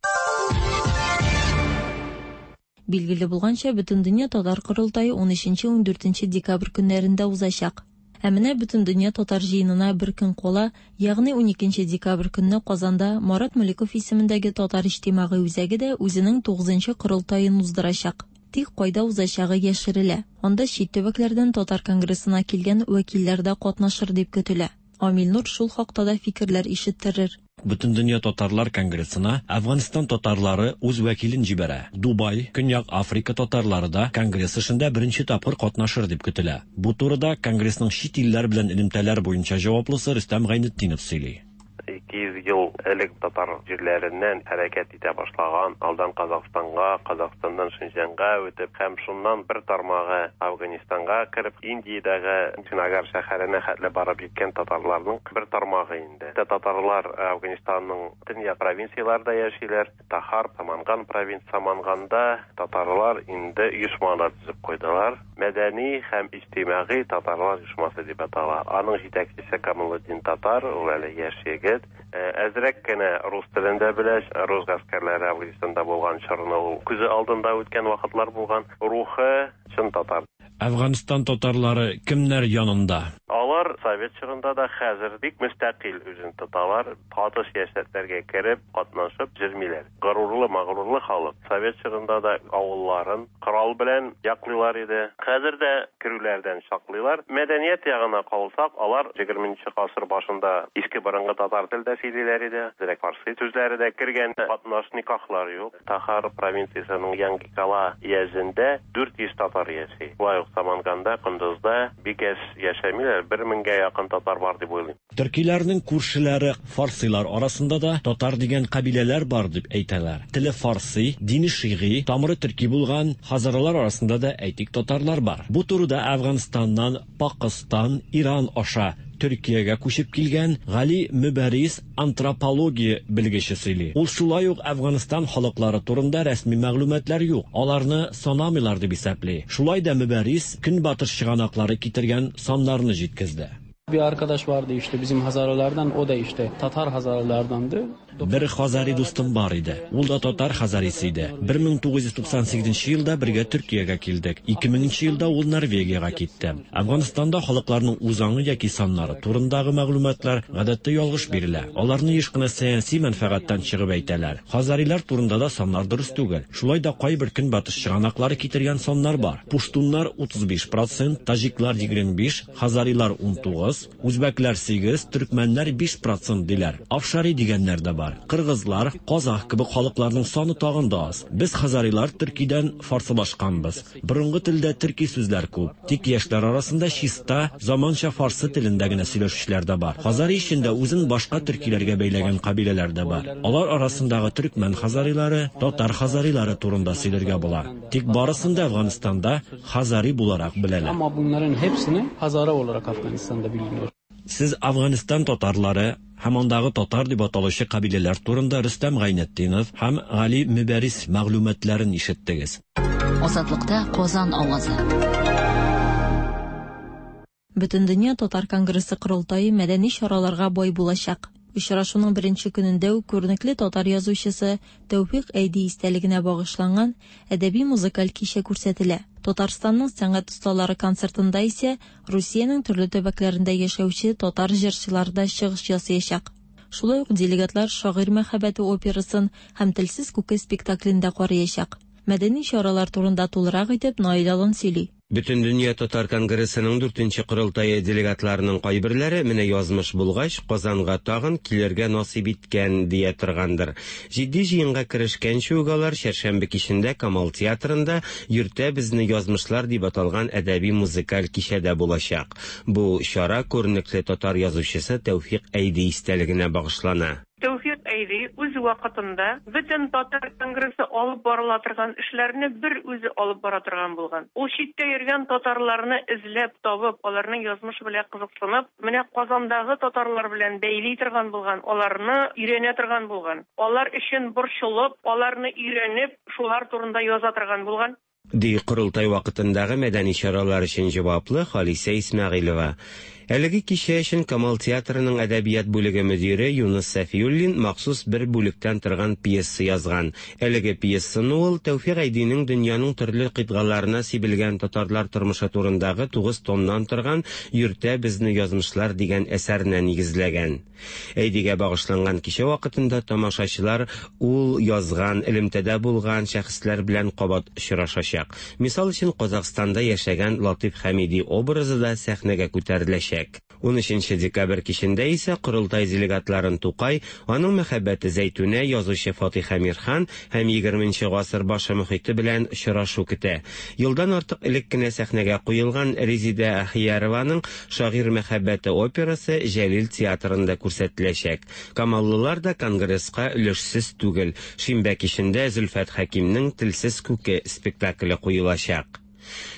Билгеле булганча, Бөтендөнья татар корылтае ун өченче ун дүртенче декабрь көннәрендә узачак. Ә менә Бөтендөнья татар җыенына бер көн кала, ягъни ун икенче декабрь көнне Казанда Марат Мөлеков исемендәге татар иҗтимагый үзәге дә үзенең тугызынчы корылтаен уздырачак. Тик кайда узачагы яшерелә. Анда чит төбәкләрдән татар конгрессына килгән вәкилләр дә катнашыр дип көтелә. Амил Нур шул хакта да фикерләр ишеттерер. Бөтендөнья татарлар конгрессына Әфганстан татарлары үз вәкилен җибәрә. Дубай, Көньяк Африка татарлары да конгресс эшендә беренче тапкыр катнашыр дип көтелә. Бу турыда конгрессның чит илләр белән элемтәләр буенча җаваплысы Рөстәм Гайнетдинов сөйли. ике йөз ел элек татар җирләреннән хәрәкәт итә башлаган, алдан Казахстанга, Казахстаннан Шинҗанга үтеп һәм шуннан бер тармагы Афганистанга кереп, Индиядәге Чинагар шәһәренә хәтле барып җиткән татарларның бер тармагы инде. Татарлар Афганистанның төньяк провинцияларында яшиләр. Тахар, Саманган провинция, Саманганда татарлар инде оешма да төзеп куйдылар. Мәдәни һәм иҗтимагый татарлар оешмасы дип атала. Аның җитәкчесе Камалетдин Татар, ул әле яшь егет. Әзрәк кенә рус телен дә белә. Рус гаскәрләре Афганистанда булган чорны ул күзе алдында үткән вакытлар булган. Рухы чын татар. Әфганстан татарлары кемнәр янында? Алар совет чорында да хәзер бик мөстәкыйль үзен тоталар, каты сәясәтләргә кереп, катнашып йөрмиләр. Горурлы, мәгърурлы халык. Совет чорында да авылларын корал белән яклыйлар иде. Хәзер дә керүләрдән саклыйлар. Мәдәният ягына калсак, алар егерменче гасыр башында иске борынгы татар телдә сөйлиләр иде. Зирәк фарсы сүзләре дә кергән, катнаш никахлар юк. Тахар провинциясенең Янгикала өязендә дүрт йөз татар яши. Шулай ук Саманганда, Кундузда бик әз яшәмиләр, бер меңгә якын татар бар дип уйлыйм. Төркиләрнең күршеләре фарсилар арасында да татар дигән кабиләләр бар дип әйтәләр. Теле фарси, дине шигый, тамыры төрки булган хазаралар арасында да әйтик татарлар бар. Бу турыда Әфганстаннан Пакыстан, Иран аша Төркиягә күчеп килгән Гали Мөбәрис антропология белгече сөйли. Ул шулай ук Әфганстан халыклары турында рәсми мәгълүматлар юк, аларны санамыйлар дип исәпли. Шулай да Мөбәрис көнбатыш чыганаклары китергән саннарны җиткезде. Bir arkadaş vardı işte bizim Hazaralardan, o da işte Tatar Hazaralardandı. Бер хазари дустым бар иде. Ул да татар хазарисы иде. бер мең тугыз йөз туксан сигезенче елда бергә Төркиягә килдек. ике меңенче елда ул Норвегиягә китте. Әфганстанда халыкларның үзаңы яки саннары турындагы мәгълүматлар гадәттә ялгыш бирелә. Аларны еш кына сәяси мәнфәгатьтән чыгып әйтәләр. Хазарилар турында да саннар дөрес түгел. Шулай да кайбер көнбатыш чыганаклары китергән саннар бар. Пуштуннар утыз биш процент, таҗиклар егерме биш, хазарилар ун тугыз, үзбәкләр сигез, төркмәннәр биш процент диләр. Афшари дигәннәр дә бар. Кыргызлар, казах кебек халыкларның саны тагын да аз. Без хазарилар төркидән фарсылашканбыз. Борынгы телдә төрки сүзләр күп. Тик яшьләр арасында чиста, заманча фарсы телендә генә сөйләшүчеләр дә бар. Хазари эчендә үзен башка төркиләргә бәйләгән кабиләләр дә бар. Алар арасындагы төркмән хазарилары, татар хазарилары турында сөйләргә була. Тик барысын да Әфганстанда хазари буларак беләләр. Ama bunların hepsini Hazara olarak Afganistan'da biliniyor. Сез Әфганстан татарлары һәм андагы татар дип аталучы кабиләләр турында Рөстәм Гайнетдинов һәм Гали Мөбәрис мәгълүматларын ишеттегез. Азатлыкта Казан авазы. Бөтендөнья татар конгрессы корылтае мәдәни чараларга бай булачак. Очрашуның беренче көнендә үк күренекле татар язучысы Тәүфик Әйди истәлегенә багышланган әдәби музыкаль кичә күрсәтелә. Татарстанның сәнгать осталары концертында исә Русиянең төрле төбәкләрендә яшәүче татар җырчылары да чыгыш ясаячак. Шулай ук делегатлар Шагыйрь мәхәббәте операсын һәм Телсез күке спектаклен дә караячак. Мәдәни чаралар турында тулырак итеп Наил Алан сөйли. Бөтендөнья татар конгрессының дүртенче корылтае делегатларының кайберләре менә язмыш булгач Казанга тагын килергә насыйп иткән дия торгандыр. Җитди җыенга керешкәнче үк алар чәршәмбе кичендә Камал театрында Йөртә безне язмышлар дип аталган әдәби музыкаль кичәдә булачак. Бу чара күренекле татар язучысы Тәүфик Әйди истәлегенә багышлана. Тәүфик Әйди үз вакытында бөтен татар конгрессы алып барыла торган эшләрне бер үзе алып бара торган булган. Ул читтә йөргән татарларны эзләп табып, аларның язмышы белән кызыксынып, менә Казандагы татарлар белән бәйли торган булган, аларны өйрәнә торган булган. Алар өчен борчылып, аларны өйрәнеп, шулар турында яза торган булган. Ди корылтай вакытындагы мәдәни чаралар өчен җаваплы Халисә Исмәгыйлева. Әлеге кичә өчен Камал театрының әдәбият бүлеге мөдире Юныс Сәфиуллин махсус бер бүлектән торган пьеса язган. Әлеге пьесаны ул Тәүфик Әйдинең дөньяның төрле кыйтгаларына сибелгән татарлар тормышы турындагы тугыз томнан торган Йөртә безне язмышлар дигән әсәренә нигезләгән. Әйдигә багышланган кичә вакытында тамашачылар ул язган, элемтәдә булган шәхесләр белән кабат очрашачак. Мисал өчен, Казахстанда яшәгән Латиф Хәмиди образы да сәхнәгә күтәреләчәк. Унөченче декабрь кичендә исә корылтай делегатларын Тукай, аның мәхәббәте Зәйтүнә, язучы Фатих Әмирхан һәм егерменче гасыр башы мөхите белән очрашу көтә. Елдан артык элек кенә сәхнәгә куелган Резидә Ахиярованың «Шагыйрь мәхәббәте» операсы Җәлил театрында күрсәтеләчәк. Камаллылар да конгресска өлешсез түгел. Шимбә кичендә Зөлфәт Хәкимнең «Телсез күке» спектакле куелачак.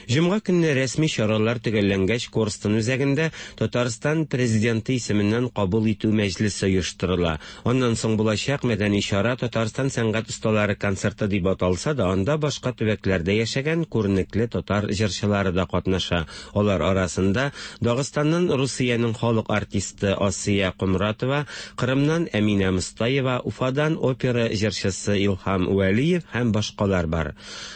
Җомга көнне рәсми чаралар төгәлләнгәч, Корстон үзәгендә Татарстан президенты исеменнән кабул итү мәҗлесе оештырыла. Аннан соң булачак мәдәни чара Татарстан сәнгать осталары концерты дип аталса да, анда башка төбәкләрдә яшәгән күренекле татар җырчылары да катнаша. Алар арасында Дагыстаннан Русиянең халык артисты Асия Комратова, Кырымнан Әминә Мостаева, Уфадан опера җырчысы Илһам Вәлиев һәм башкалар бар.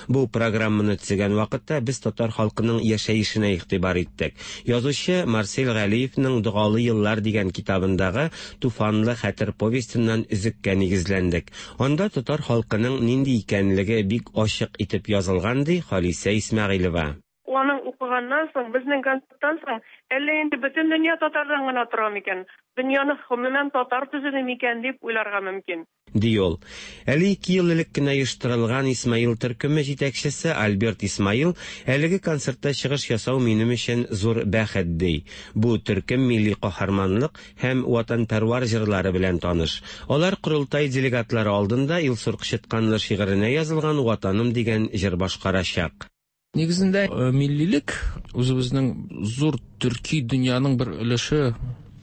Бу программаны төзегән вакытта без татар халкының яшәешенә игътибар иттек. Язучы Марсель Галиевның «Догалы еллар» дигән китабындагы «Туфанлы хәтер» повестеннан өзеккә нигезләндек. Анда татар халкының нинди икәнлеге бик ачык итеп язылган, ди Халисә Исмәгыйлева. Аның укыганнан соң, безнең концерттан соң, әллә инде бөтен дөнья татардан гына тора микән? Дөньяны гомумән татар төзеде микән дип уйларга мөмкин. Ди ул. Әле ике ел элек кенә оештырылган Исмаил төркеме җитәкчесе Альберт Исмаил әлеге концертта чыгыш ясау минем өчен зур бәхет, ди. Бу төркем милли каһарманлык һәм ватанпәрвар җырлары белән таныш. Алар корылтай делегатлары алдында Илсур Кычытканлы шигыренә язылган «Ватаным» дигән җыр башкарачак. Нигезендә миллилек үзебезнең зур төрки дөньяның бер өлеше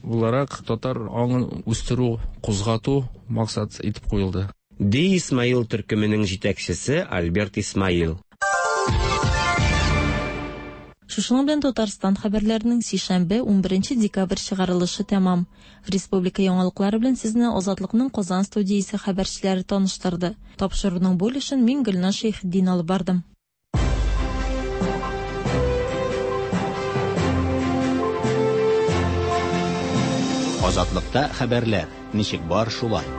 буларак татар аңын үстерү, кузгату максат итеп куелды. Ди Исмаил төркеменең җитәкчесе Альберт Исмаил. Шушының белән Татарстан хәбәрләренең сишәмбе унберенче декабрь чыгарылышы тәмам. Республика яңалыклары белән сезне Азатлыкның Казан студиясе хәбәрчеләре таныштырды. Тапшыруның бу өлешен мин Гөлназ Шәйхетдин алып бардым. Азатлыкта хәбәрләр ничек бар шулай.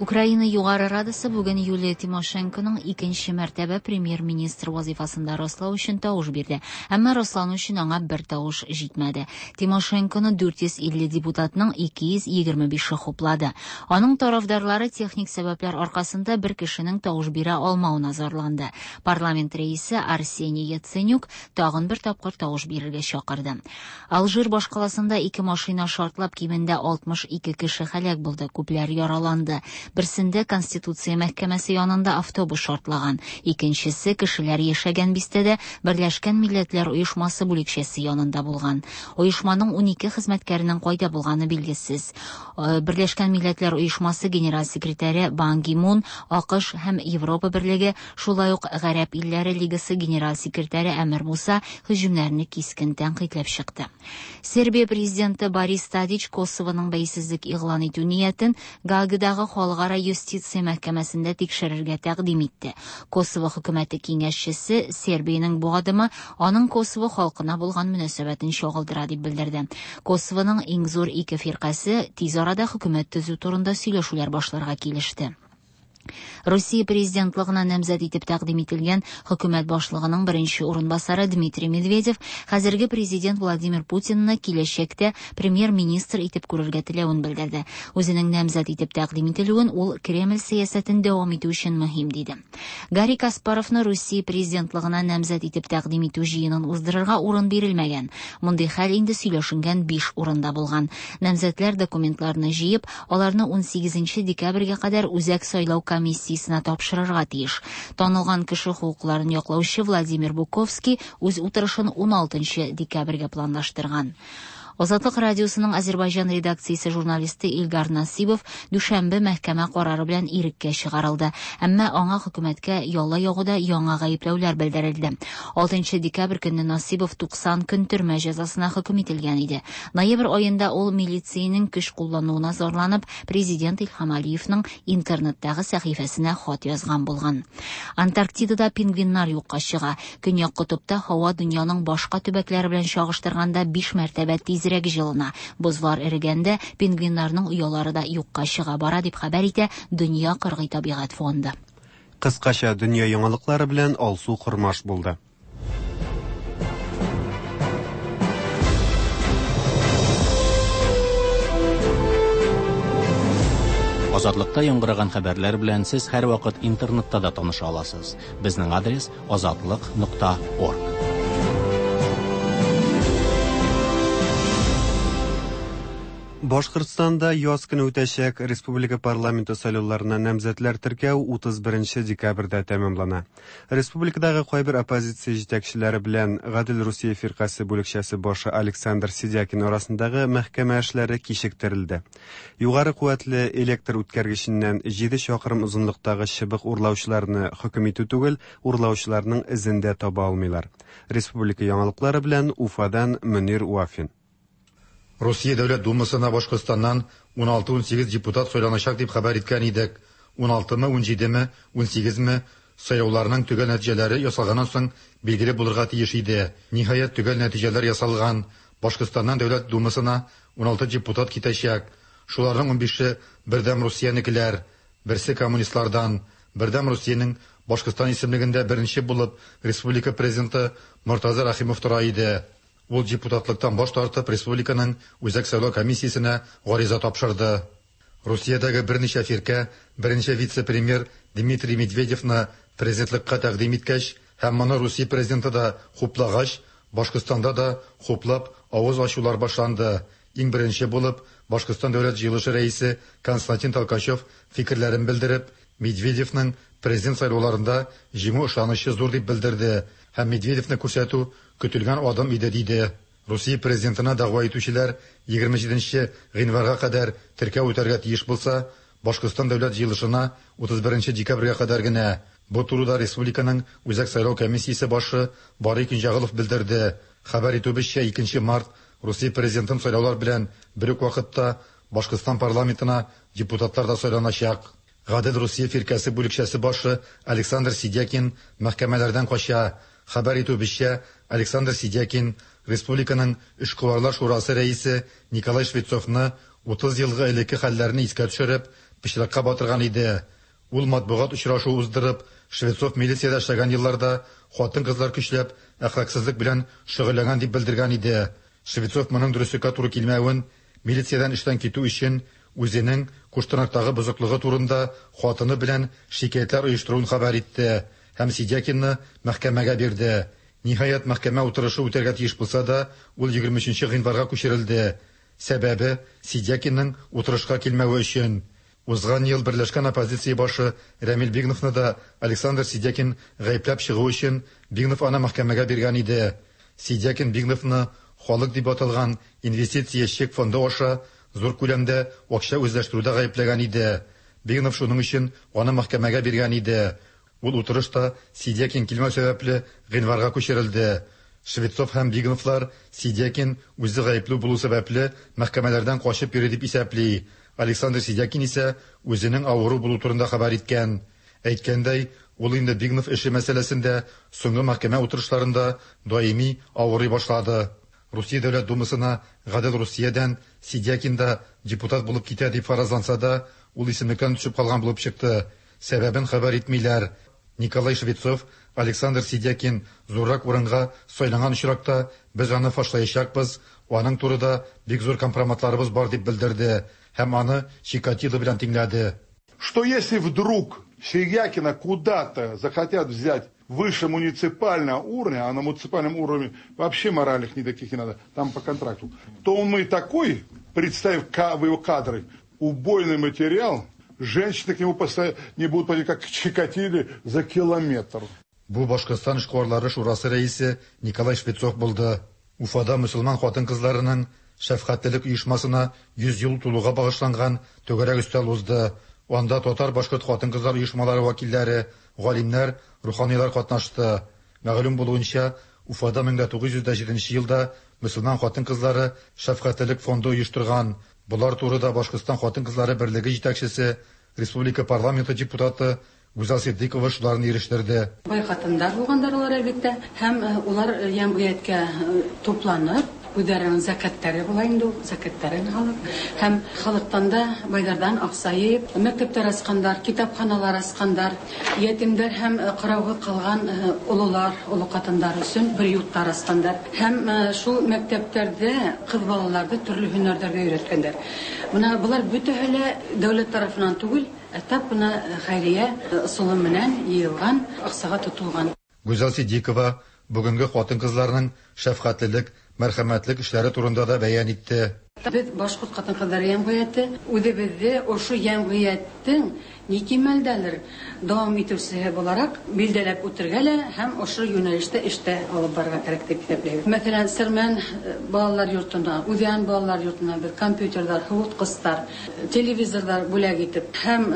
Украина Югары Радасы бүген Юлия Тимошенконың икенче мәртәбә премьер-министр вазифасында раслау өчен тавыш бирде. Әмма раслану өчен аңа бер тавыш җитмәде. Тимошенконы дүрт йөз илле депутатның ике йөз егерме бише хуплады. Аның тарафдарлары техник сәбәпләр аркасында бер кешенең тавыш бирә алмавына зарланды. Парламент рәисе Арсений Яценюк тагын бер тапкыр тавыш бирергә чакырды. Алжир башкаласында ике машина шартлап кимендә алтмыш ике кеше һәлак булды, күпләр яраланды. Берсендә Конституция мәхкәмәсе янында автобус шартлаган, икенчесе кешеләр яшәгән бистәдә Берләшкән Милләтләр Оешмасы бүлекчәсе янында булган. Оешманың унике хезмәткәренең кайда булганы билгесез. Берләшкән Милләтләр Оешмасы генераль секретаре Бан Ги Мун, АКШ һәм Европа Берлеге, шулай ук Гарәп илләре Лигасы генераль секретаре Әмир Муса һөҗүмнәрне кискен тәнкыйтьләп чыкты. Сербия президенты Борис Тадич Косовоның бәйсезлек игълан итү ниятен Гаагадагы халыкара юстиция мәхкәмәсендә тикшерергә тәкъдим итте. Косово хөкүмәте киңәшчесе Сербиянең бу адымы аның Косово халкына булган мөнәсәбәтен чагылдыра дип белдерде. Косовоның иң зур ике фиркасе тиз арада хөкүмәт төзү турында сөйләшүләр башларга килеште. Русия президентлыгына намзәт итеп тәкъдим ителгән хөкүмәт башлыгының беренче урынбасары Дмитрий Медведев хәзерге президент Владимир Путинны киләчәктә премьер-министр итеп күрергә теләвен белдерде. Үзенең намзәт итеп тәкъдим ителүен ул Кремль сәясәтен дәвам итү өчен мөһим диде. Гарри Каспаровны Русия президентлыгына намзәт итеп тәкъдим итү җыенын уздырырга урын бирелмәгән. Мондый хәл инде сөйләшенгән биш урында булган. Намзәтләр документларны җыеп, аларны унсигезенче декабрьгә кадәр Үзәк сайлау комиссиясенә тапшырырга тиеш. Танылган кеше хокукларын яклаучы Владимир Буковский үз утырышын уналтынчы декабрьгә планлаштырган. Азатлык радиосының Азербайҗан редакциясе журналисты Илгар Насибов дүшәмбе мәхкәмә карары белән иреккә чыгарылды. Әмма аңа хөкүмәткә яла ягуда яңа гаепләүләр белдерелде. алтынчы декабрь көнне Насибов туксан көн төрмә җәзасына хөкем ителгән иде. Ноябрь аенда ул милициянең көч куллануына зарланып, президент Илһам Алиевның интернеттагы сәхифәсенә хат язган булган. Антарктидада пингвиннар юкка чыга. Көньяк котыпта һава дөньяның башка төбәкләре белән чагыштырганда биш мәртәбә тизрәк җылына. Бозлар эрегәндә пингвиннарның оялары да юкка чыга бара дип хәбәр итә Дөнья кыргый табигать фонды. Кыскача дөнья яңалыклары белән Алсу Кормаш булды. Азатлыкта яңгыраган хәбәрләр белән сез һәрвакыт интернетта да таныша аласыз. Безнең адрес азатлык нокта орг. Башкортстанда яз көне үтәчәк республика парламенты сайлауларына намзәтләр теркәү утыз беренче декабрьдә тәмамлана. Республикадагы кайбер оппозиция җитәкчеләре белән Гадел Русия фиркасе бүлекчәсе башы Александр Сидякин арасындагы мәхкәмә эшләре кичектерелде. Югары куәтле электр үткәргеченнән җиде чакрым озынлыктагы чыбык урлаучыларны хөкем итү түгел, урлаучыларның эзен дә таба алмыйлар. Республика яңалыклары белән Уфадан Мөнир Вафин. Русия Дәүләт Думасына Башкортстаннан ун алты ун сигез депутат сайланачак дип хәбәр иткән идек. ун алтымы, ун җидеме, ун сигезме сайлауларның төгәл нәтиҗәләре ясалганнан соң билгеле булырга тиеш иде. Ниһаять, төгәл нәтиҗәләр ясалган. Башкортстаннан Дәүләт Думасына ун алты депутат китәчәк. Шуларның ун бише Бердәм Русиянекеләр, берсе коммунистлардан. Бердәм Русиянең Башкортстан исемлегендә беренче булып республика президенты Мортаза Рахимов тора иде. Ул депутатлыктан баш тартып республиканың Үзәк сайлау комиссиясенә гариза тапшырды. Русиядәге берничә фиркә беренче вице-премьер Дмитрий Медведевны президентлыкка тәкъдим иткәч һәм моны Русия президенты да хуплагач, Башкортстанда да хуплап авыз ачулар башланды. Иң беренче булып Башкортстан Дәүләт җыелышы рәисе Константин Толкачев фикерләрен белдереп, Медведевның президент сайлауларында җиңү ышанычы зур дип белдерде һәм Медведевны күрсәтү көтелгән адым иде диде. Русия президентына дәгъва итүчеләр егерме җиденче гыйнварга кадәр теркәү үтәргә тиеш булса, Башкортстан Дәүләт җыелышына утыз беренче декабрьгә кадәр генә. Бу турыда республиканың Үзәк сайлау комиссиясе башы Барый Көнҗәгылов белдерде. Хәбәр итүебезчә, икенче март Русия президентын сайлаулар белән бер үк вакытта Башкортстан парламентына депутатлар да сайланачак. Гадел Русия фиркәсе бүлекчәсе башы Александр Сидякин мәхкәмәләрдән кача. Хәбәр итүебезчә, Александр Сидякин республиканың Эшкуарлар шурасы рәисе Николай Швецовны утыз елгы элекке хәлләрне искә төшереп, пычракка батырган иде. Ул матбугат очрашуы уздырып, Швецов милициядә эшләгән елларда хатын-кызлар көчләп әхлаксызлык белән шөгыльләнгән дип белдергән иде. Швецов моның дөреслеккә туры килмәвен, милициядән эштән китү өчен үзенең Куштанактагы бозыклыгы турында хатыны белән шикаятьләр оештыруын хәбәр итте һәм Сидякинны мәхкәмәгә бирде. Ниһаять, мәхкәмә утырышы үтәргә тиеш булса да, ул егерме өченче гыйнварга күчерелде. Сәбәбе Сидякинның утырышка килмәве өчен. Узган ел берләшкән оппозиция башы Рәмил Бигновны да Александр Сидякин гаепләп чыгу өчен Бигнов аны мәхкәмәгә биргән иде. Сидякин Бигновны халык дип аталган инвестиция чек фонды аша зур күләмдә акча үзләштерүдә гаепләгән иде. Бигнов шуның өчен аны мәхкәмәгә биргән иде. Ул утырышта Сидякин килмәү сәбәпле гыйнварга күчерелде. Швецов һәм Бигновлар Сидякин үзе гаепле булу сәбәпле мәхкәмәләрдән качып йөри дип исәпли. Александр Сидякин исә үзенең авыру булу турында хәбәр иткән. Әйткәндәй, ул инде Бигнов эше мәсьәләсендә соңгы мәхкәмә утырышларында даими авырый башлады. Русия Дәүләт Думасына Гадел Русиядән Сидякин да депутат булып китә дип фаразланса да, ул исемлектән төшеп калган булып чыкты. Сәбәбен хәбәр итмиләр. Николай Швецов, Александр Сидякин зуррак урынга сайланган очракта без аны фашлаячакбыз, аның турыда бик зур компроматларыбыз бар дип белдерде һәм аны Чикатило белән тиңләде. Что если вдруг Сидякина куда-то захотят взять выше муниципального уровня, а на муниципальном уровне вообще моральных никаких не надо, там по контракту, то он и такой, представив его кадры, убойный материал, женщины к нему не будут подходить, как к Чикатиле, за километр. Бу Башкортстан эшкуарлары шурасы рәисе Николай Швецов булды. Уфада мөселман хатын-кызларының шәфкатьлелек оешмасына йөз ел тулуга багышланган түгәрәк өстәл узды. Анда татар башкорт хатын-кызлар оешмалары вәкилләре, галимнәр, руханилар катнашты. Мәгълүм булуынча, Уфада мең тугыз йөз җиденче елда мөселман хатын-кызлары шәфкатьлелек фонды оештырган. Булар турыда Башкортстан хатын-кызлары берлеге җитәкчесе, республика парламенты депутаты Гүзәл Ситдикова шуларны ирештерде. Бай хатындар булгандар алар әлбәттә, һәм улар җәмгыятькә тупланып, Үзләренең зәкәтләре була инде ул, зәкәтләрен алып һәм халыктан да байлардан акча җыеп, мәктәпләр ачкандар, китапханалар ачкандар, ятимнәр һәм караугы калган олылар, олы катындар өчен приютлар ачкандар. Һәм шул мәктәпләрдә кыз балаларны төрле һөнәрләргә өйрәткәннәр. Менә болар бөтәһе лә дәүләт тарафыннан түгел, ә тап менә хәйрия ысулы менән йыелган, акчага тотылган. Гүзәл Сиддикова бүгенге хатын-кызларның шәфкатьлелек, мәрхәмәтлек эшләре турында да бәян итте. Без башкорт хатын-кызлар җәмгыяте, үзебездә ошо җәмгыятьнең ни кимәлдәлер дәвам итүчесе буларак билдәләп үтергә лә һәм ошо юнәлештә эштә алып барырга кирәк дип исәпләйбез. Мәсәлән, Сәрмән балалар йортына, Үҙән балалар йортына бер компьютерлар, һыуытҡыстар, телевизорлар бүләк итеп һәм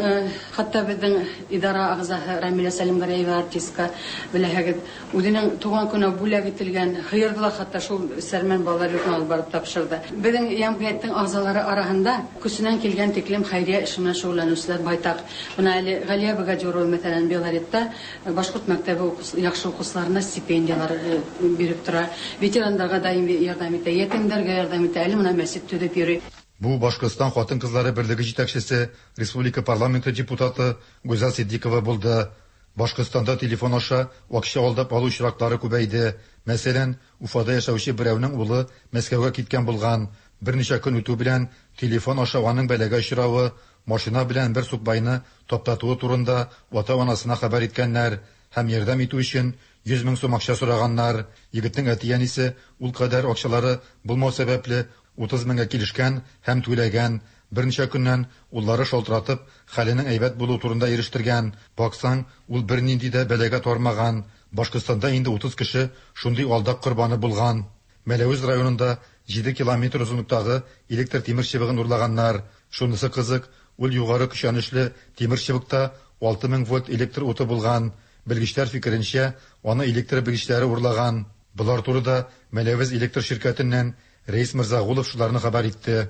хатта беҙҙең идара ағзаһы Рамилә Сәлимгәрәева артистка беләһегеҙ, үҙенең тыуған көнө бүләк ителгән һыйырҙы ла хатта шул Сәрмән балалар йортона алып барып тапшырҙы. Беҙҙең җәмгыятьнең ағзалары араһында көсөнән килгән тиклем хәйриә эше менән шөғөлләнеүселәр байтаҡ. Бына әле Ғәлиә Богадюрова, мәҫәлән, Белоретта башҡорт мәктәбе яҡшы уҡыусыларына стипендиялар биреп тора, ветерандарға даим ярҙам итә, ятимдәргә ярҙам итә, әле бына мәсет төҙөп йөрөй. Бу Башҡортостан хатын-ҡыҙлары берлеге етәксесе, республика парламенты депутаты Гүзәл Сиддикова булды. Башҡортостанда телефон аша акча алдап алыу очраклары күбәйде. Мәсәлән, Уфада яшәүче берәүнең улы Мәскәүгә киткән булган. Бер ничә көн үтү белән телефон аша аның бәлагә очравы, машина белән бер сукбайны таптатуы турында ата-анасына хәбәр иткәннәр һәм ярдәм итү өчен йөз мең сум акча сораганнар. Егетнең әти-әнисе ул кадәр акчалары булмау сәбәпле утыз меңгә килешкән һәм түләгән. Берничә көннән уллары шалтыратып, хәленең әйбәт булуы турында ирештергән. Баксаң, ул бернинди дә бәлагә тармаган. Башҡортостанда инде утыз кеше шундый алдак корбаны булган. Мәләүез районында җиде километр озынлыктагы электр тимер чыбыгын урлаганнар. Шунысы кызык, ул югары көчәнешле тимер чыбыкта алты мең вольт электр уты булган. Белгечләр фикеренчә, аны электр белгечләре урлаган. Болар турында Мәләүез электр ширкәтеннән Рәис Мирзагулов шуларны хәбәр итте.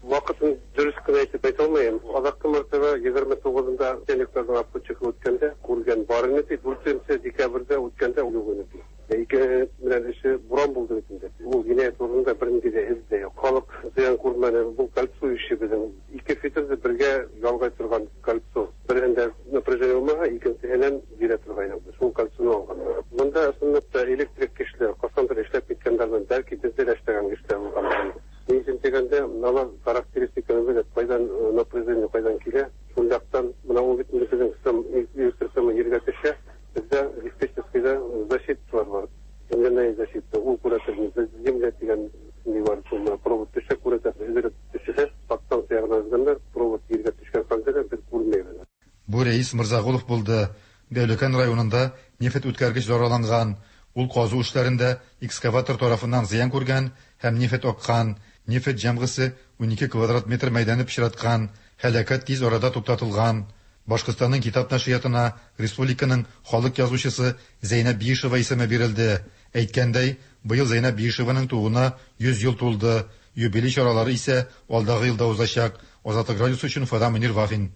Вакытын дөрес кенә әйтеп әйтә алмыйм. Азаккы мәртәбә егерме тугызында электрның обходчигы үткәндә күргән бар иде. Дүртенче декабрьдә үткәндә юк иде. Ике белән эше буран булды бит инде. Ул җинаять урынында бернинди дә эз дә юк. Халык зыян күрмәде. Бу кольцо эше безнең. Ике фитерде бергә ялгай торган кольцо. Берендә напряжение булмага, икенчеһеннән бирә торган иде. Шул кольцоны алганнар. Монда чынлап та электрик кешеләр, кайчандыр эшләп киткәннәрдән, бәлки бездә дә эшләгән кешеләр булган. Ни өчен дигәндә, алар характеристиканы белеп, кайдан напряжение кайдан килә, шул яктан менә ул бит безнең электр сымы җиргә төшә, бездә диспетчерскийда защиталар бар. Земляная защита, ул күрәтер, без земля дигән ни бар, шул провод төшә, күрәтер, өзелеп төшә, подстанция ягына өзгәннәр, провод җиргә төшкән хәлдә дә без күрмәйбез. Бу Рәис Мирзагулов булды. Дәүләкән районында нефть үткәргеч зарарланган. Ул казу эшләрендә экскаватор тарафыннан зыян күргән һәм нефть аккан. Нефть җәмгысе унике квадрат метр мәйданны пычраткан. Һәлакәт тиз арада туктатылган. Башҡортостанның китап нәшриятына республиканың халык язучысы Зәйнәб Биишева исеме бирелде. Әйткәндәй, быел Зәйнәб Биишеваның тууына йөз ел тулды. Юбилей чаралары исә алдагы елда узачак. Азатлык радиосы өчен Уфадан Мөнир Вафин.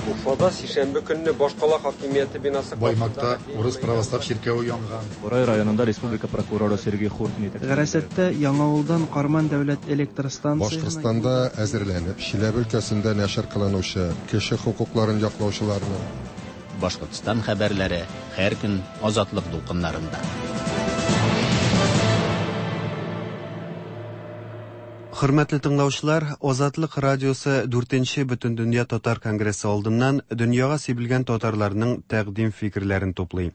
Уфада сишәмбе көнне башкала хакимияте бинасы Баймакта урыс православ чиркәве янган. Бурай районында республика прокуроры Сергей Хуртин итәкчелек. Гарасәттә Яңавылдан Карман дәүләт электр станциясенә Башкортстанда әзерләнеп, Чиләбе өлкәсендә нәшер кылынучы кеше хокукларын яклаучыларны Башкортстан хәбәрләре һәр көн Азатлык дулкыннарында. Хөрмәтле тыңлаучылар, Азатлык радиосы дүртенче Бөтендөнья татар конгрессы алдыннан дөньяга сибелгән татарларның тәкъдим фикерләрен туплый.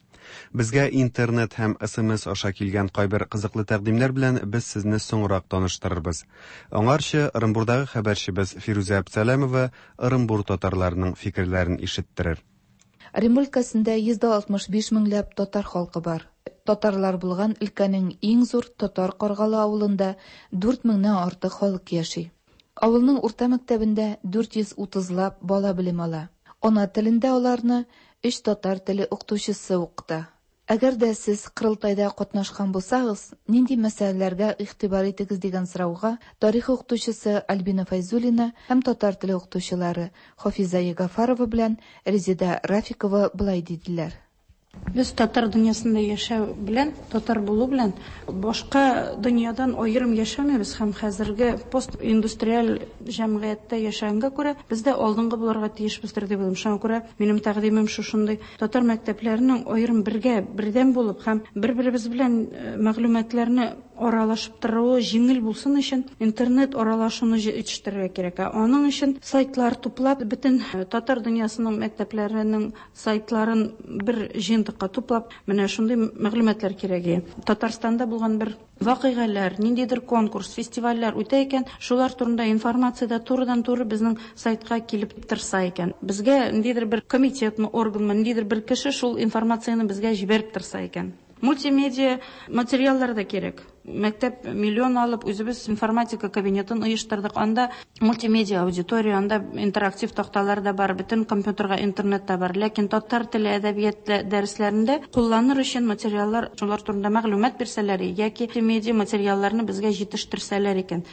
Безгә интернет һәм эс эм эс аша килгән кайбер кызыклы тәкъдимнәр белән без сезне соңрак таныштырырбыз. Аңарчы Ырынбурдагы хәбәрчебез Фирүзә Әбсәләмова Ырынбур татарларының фикерләрен ишеттерер. Ырынбур өлкәсендә йөз дә алтмыш биш меңләп татар халкы бар. Татарлар булган өлкәнең иң зур Татар Каргалы авылында дүрт меңнән артык халык яши. Авылның урта мәктәбендә дүрт йөз утызлап бала белем ала. Ана телендә аларны өч татар теле укытучысы укыта. Әгәр дә сез Кырылтайда катнашкан булсагыз, нинди мәсьәләләргә игътибар итегез дигән сорауга тарих укытучысы Альбина Файзуллина һәм татар теле укытучылары Хафиза Ягафарова белән Резеда Рафикова былай диделәр. Без татар дөньясында яшәү белән, татар булу белән башка дөньядан аерым яшәмибез һәм хәзерге постиндустриаль җәмгыятьтә яшәгәнгә күрә без дә алдынгы булырга тиешбездер дип уйлыйм. Шуңа күрә минем тәкъдимем шушындый: татар мәктәпләренең аерым бергә, бердәм булып һәм бер-беребез белән мәгълүматларны аралашып торуы җиңел булсын өчен интернет аралашуны җитештерергә кирәк. Аның өчен сайтлар туплап, бөтен татар дөньясының мәктәпләренең сайтларын бер җыентыкка туплап, менә шундый мәгълүматлар кирәк. Татарстанда булган бер вакыйгалар, ниндидер конкурс, фестивальләр үтә икән, шулар турында информация да турыдан-туры безнең сайтка килеп торса икән. Безгә ниндидер бер комитетмы, органмы, ниндидер бер кеше шул информацияне безгә җибәреп торса икән. Мультимедиа материаллар да кирәк. Мәктәп миллион алып, үзебез информатика кабинетын оештырдык. Анда мультимедиа аудитория, анда интерактив такталар да бар, бөтен компьютерга интернет та бар. Ләкин татар теле, әдәбият дәресләрендә кулланыр өчен материаллар, шулар турында мәгълүмат бирсәләр яки мультимедиа материалларны безгә җитештерсәләр икән.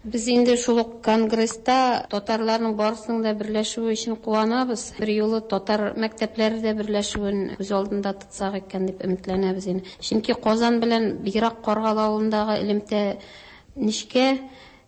Без инде шул ук конгресста татарларның барысының да берләшүе өчен куанабыз. Бер юлы татар мәктәпләре дә берләшүен күз алдында тотсак икән дип өметләнәбез инде. Чөнки Казан белән бигрәк Каргалы авылындагы элемтә нечкә,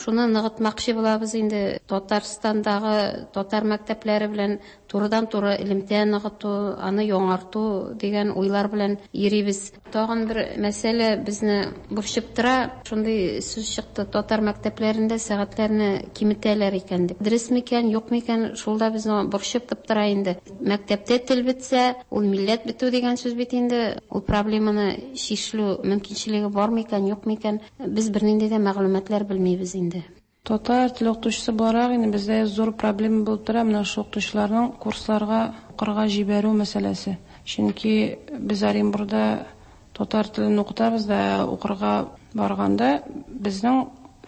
шуны ныгытмакчы булабыз инде. Татарстандагы татар мәктәпләре белән турыдан-туры элемтә ныгыту, аны яңарту дигән уйлар белән йөрибез. Тагын бер мәсьәлә безне борчып тора. Шундый сүз чыкты: татар мәктәпләрендә сәгатьләрне киметәләр икән дип. Дөрес микән, юк микән, шул да безне борчып тора инде. Мәктәптә тел бетсә, ул милләт бетү дигән сүз бит инде. Ул проблеманы чишелү мөмкинчелеге бар микән, юк микән, без бернинди дә мәгълүматлар белмибез инде. Татар теле укытучысы буларак инде бездә зур проблема булып тора менә шул укытучыларның курсларга укырга җибәрү мәсьәләсе. Чөнки без Оренбургда татар телен укытабыз да, укырга барганда безнең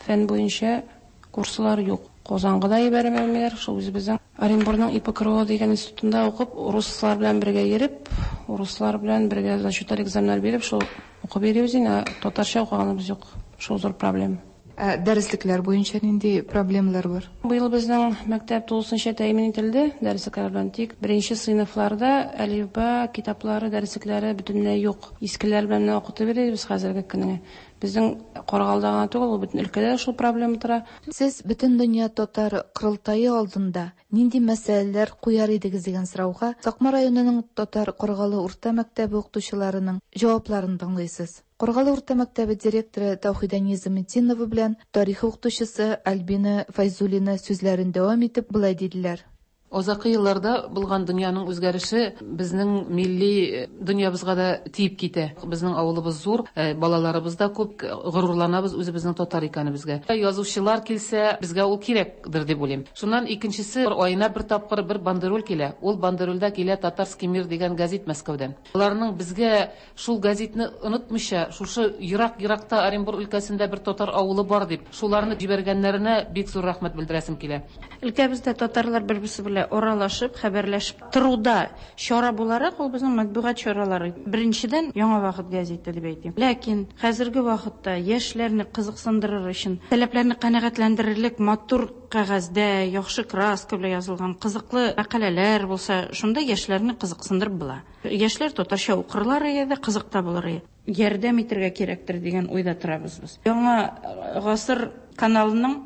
фән буенча курслар юк. Казанга да җибәрмиләр, шул үзебезнең Оренбургның И П К Р О дигән институтында укып, руслар белән бергә йөреп, руслар белән бергә зачетлар, экзаменнар биреп, шул укып йөрибез инде, татарча укыганыбыз юк. Шул зур проблема. Ә дәреслекләр буенча нинди проблемалар бар? Быел безнең мәктәп тулысынча тәэмин ителде дәреслекләр белән. Тик беренче сыйныфларда әлифба китаплары, дәреслекләре бөтенләй юк. Искеләр белән генә укытып йөрибез хәзерге көнгә. Безнең Каргалда гына түгел, ул бөтен өлкәдә шул проблема тора. Сез Бөтендөнья татар корылтае алдында нинди мәсьәләләр куяр идегез дигән сорауга Сакмар районының Татар Каргалы урта мәктәбе укытучыларының җавапларын тыңлыйсыз. Каргалы урта мәктәбе директоры Таухида Низаметдинова белән тарих укытучысы Альбина Файзуллина сүзләрен дәвам итеп болай диделәр. Азакы елларда булган дөньяның үзгәреше безнең милли дөньябызга да тиеп китә. Безнең авылыбыз зур, балаларыбыз да күп, горурланабыз үзебезнең татар икәнебезгә. Язучылар килсә, безгә ул кирәкдер дип уйлыйм. Шуннан икенчесе, аена бер тапкыр бер бандероль килә. Ул бандерольдә килә «Татарский мир» дигән газет Мәскәүдән. Аларның безгә шул газетны онытмыйча, шушы ерак-еракта Оренбург өлкәсендә бер татар авылы бар дип, шуларны җибәргәннәренә бик зур рәхмәт белдерәсем килә. Өлкәбездә татарлар бер-берсе белән аралашып, хәбәрләшеп торуда чара буларак ул безнең матбугат чаралары. Беренчедән, «Яңа вакыт» газеты дип әйтим. Ләкин хәзерге вакытта яшьләрне кызыксындырыр өчен, таләпләрне канәгатьләндерерлек матур кәгазьдә, яхшы краска белән язылган кызыклы мәкаләләр булса, шунда яшьләрне кызыксындырып була. Яшьләр татарча укырлар иде, кызык та булыр иде. Ярдәм итәргә кирәктер дигән уйда торабыз без. «Яңа гасыр» каналының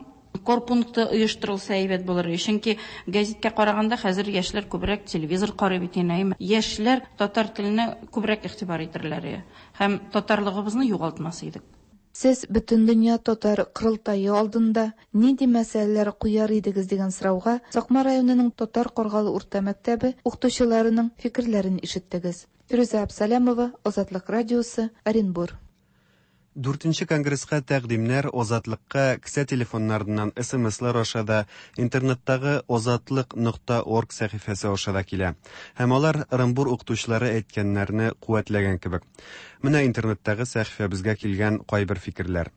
корпункты оештырылса әйбәт булыр. Чөнки гәзиткә караганда хәзер яшьләр күбрәк телевизор карый бит инде. Яшьләр татар теленә күбрәк игътибар итерләр һәм татарлыгыбызны югалтмас идек. Сез Бөтендөнья татар корылтае алдында нинди мәсьәләләр куяр идегез дигән сорауга Сакмар районының Татар Каргалы урта мәктәбе укытучыларының фикерләрен ишеттегез. Фирүзә Абсалямова, Азатлык радиосы, Оренбур. Дүртенче конгресска тәкъдимнәр Азатлыкка кесә телефоннарыннан С М Слар аша да, интернеттагы азатлык нокта орг сәхифәсе аша да килә. Һәм алар Ырымбур укытучылары әйткәннәрне куәтләгән кебек. Менә интернеттагы сәхифәбезгә килгән кайбер фикерләр.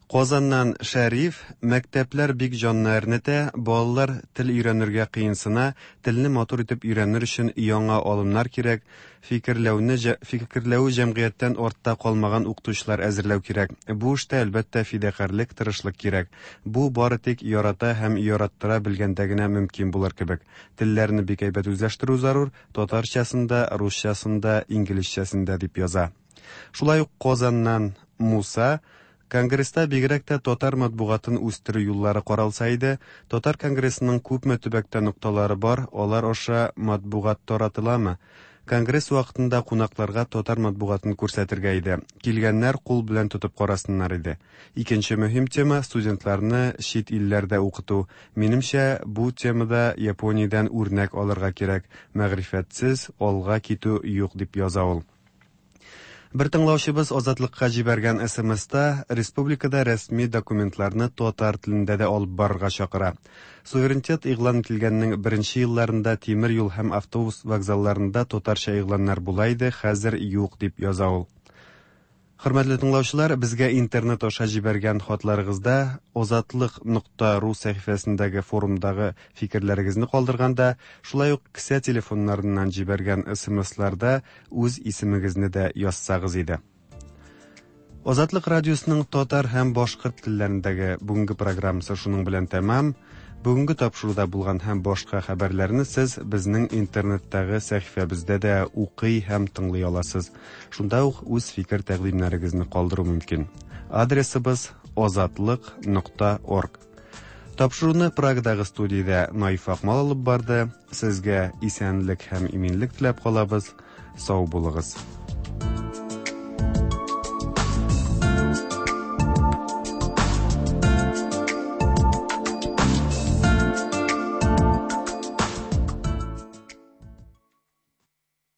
Казаннан Шәриф, мәктәпләр бик җанны әрнетә, балалар тел өйрәнергә кыенсына, телне матур итеп өйрәнер өчен яңа алымнар кирәк, фикерләүне фикерләү җәмгыятьтән артта калмаган укытучылар әзерләү кирәк. Бу эштә әлбәттә фидакарьлек, тырышлык кирәк. Бу бары тик ярата һәм яраттыра белгәндә генә мөмкин булыр кебек. Телләрне бик әйбәт үзләштерү зарур, татарчасын да, русчасын да, инглизчәсен дә, дип яза. Шулай ук Казаннан Муса, Конгресста бигрәк тә татар матбугатын үстерү юллары каралса иде, Татар конгрессының күпме төбәктә нокталары бар, алар аша матбугат таратыламы? Конгресс вакытында кунакларга татар матбугатын күрсәтергә иде. Килгәннәр кул белән тотып карасыннар иде. Икенче мөһим тема студентларны чит илләрдә укыту. Минемчә, бу темада Япониядән үрнәк алырга кирәк. Мәгърифәтсез алга китү юк, дип яза ул. Бер тыңлаучыбыз Азатлыкка җибәргән СМСта республикада рәсми документларны татар телендә дә алып барырга чакыра. Суверенитет игълан ителгәннең беренче елларында тимер юл һәм автобус вокзалларында татарча игъланнар була иде, хәзер юк, дип яза ул. Хөрмәтле тыңлаучылар, безгә интернет аша җибәргән хатларыгызда озатлык нокта ру сәхифәсендәге форумдагы фикерләрегезне калдырганда, шулай ук кесә телефоннарыннан җибәргән СМСларда үз исемегезне дә язсагыз иде. Азатлык радиосының татар һәм башкорт телләрендәге бүгенге программасы шуның белән тәмам. Бүгенге тапшыруда булган һәм башка хәбәрләрне сез безнең интернеттагы сәхифәбездә дә укый һәм тыңлый аласыз. Шунда ук үз фикер тәкъдимнәрегезне калдыру мөмкин. Адресыбыз озатлык нокта орг. Тапшыруны Прагадагы студиядә Наиф Акмал алып барды. Сезгә исәнлек һәм иминлек теләп калабыз. Сау булыгыз.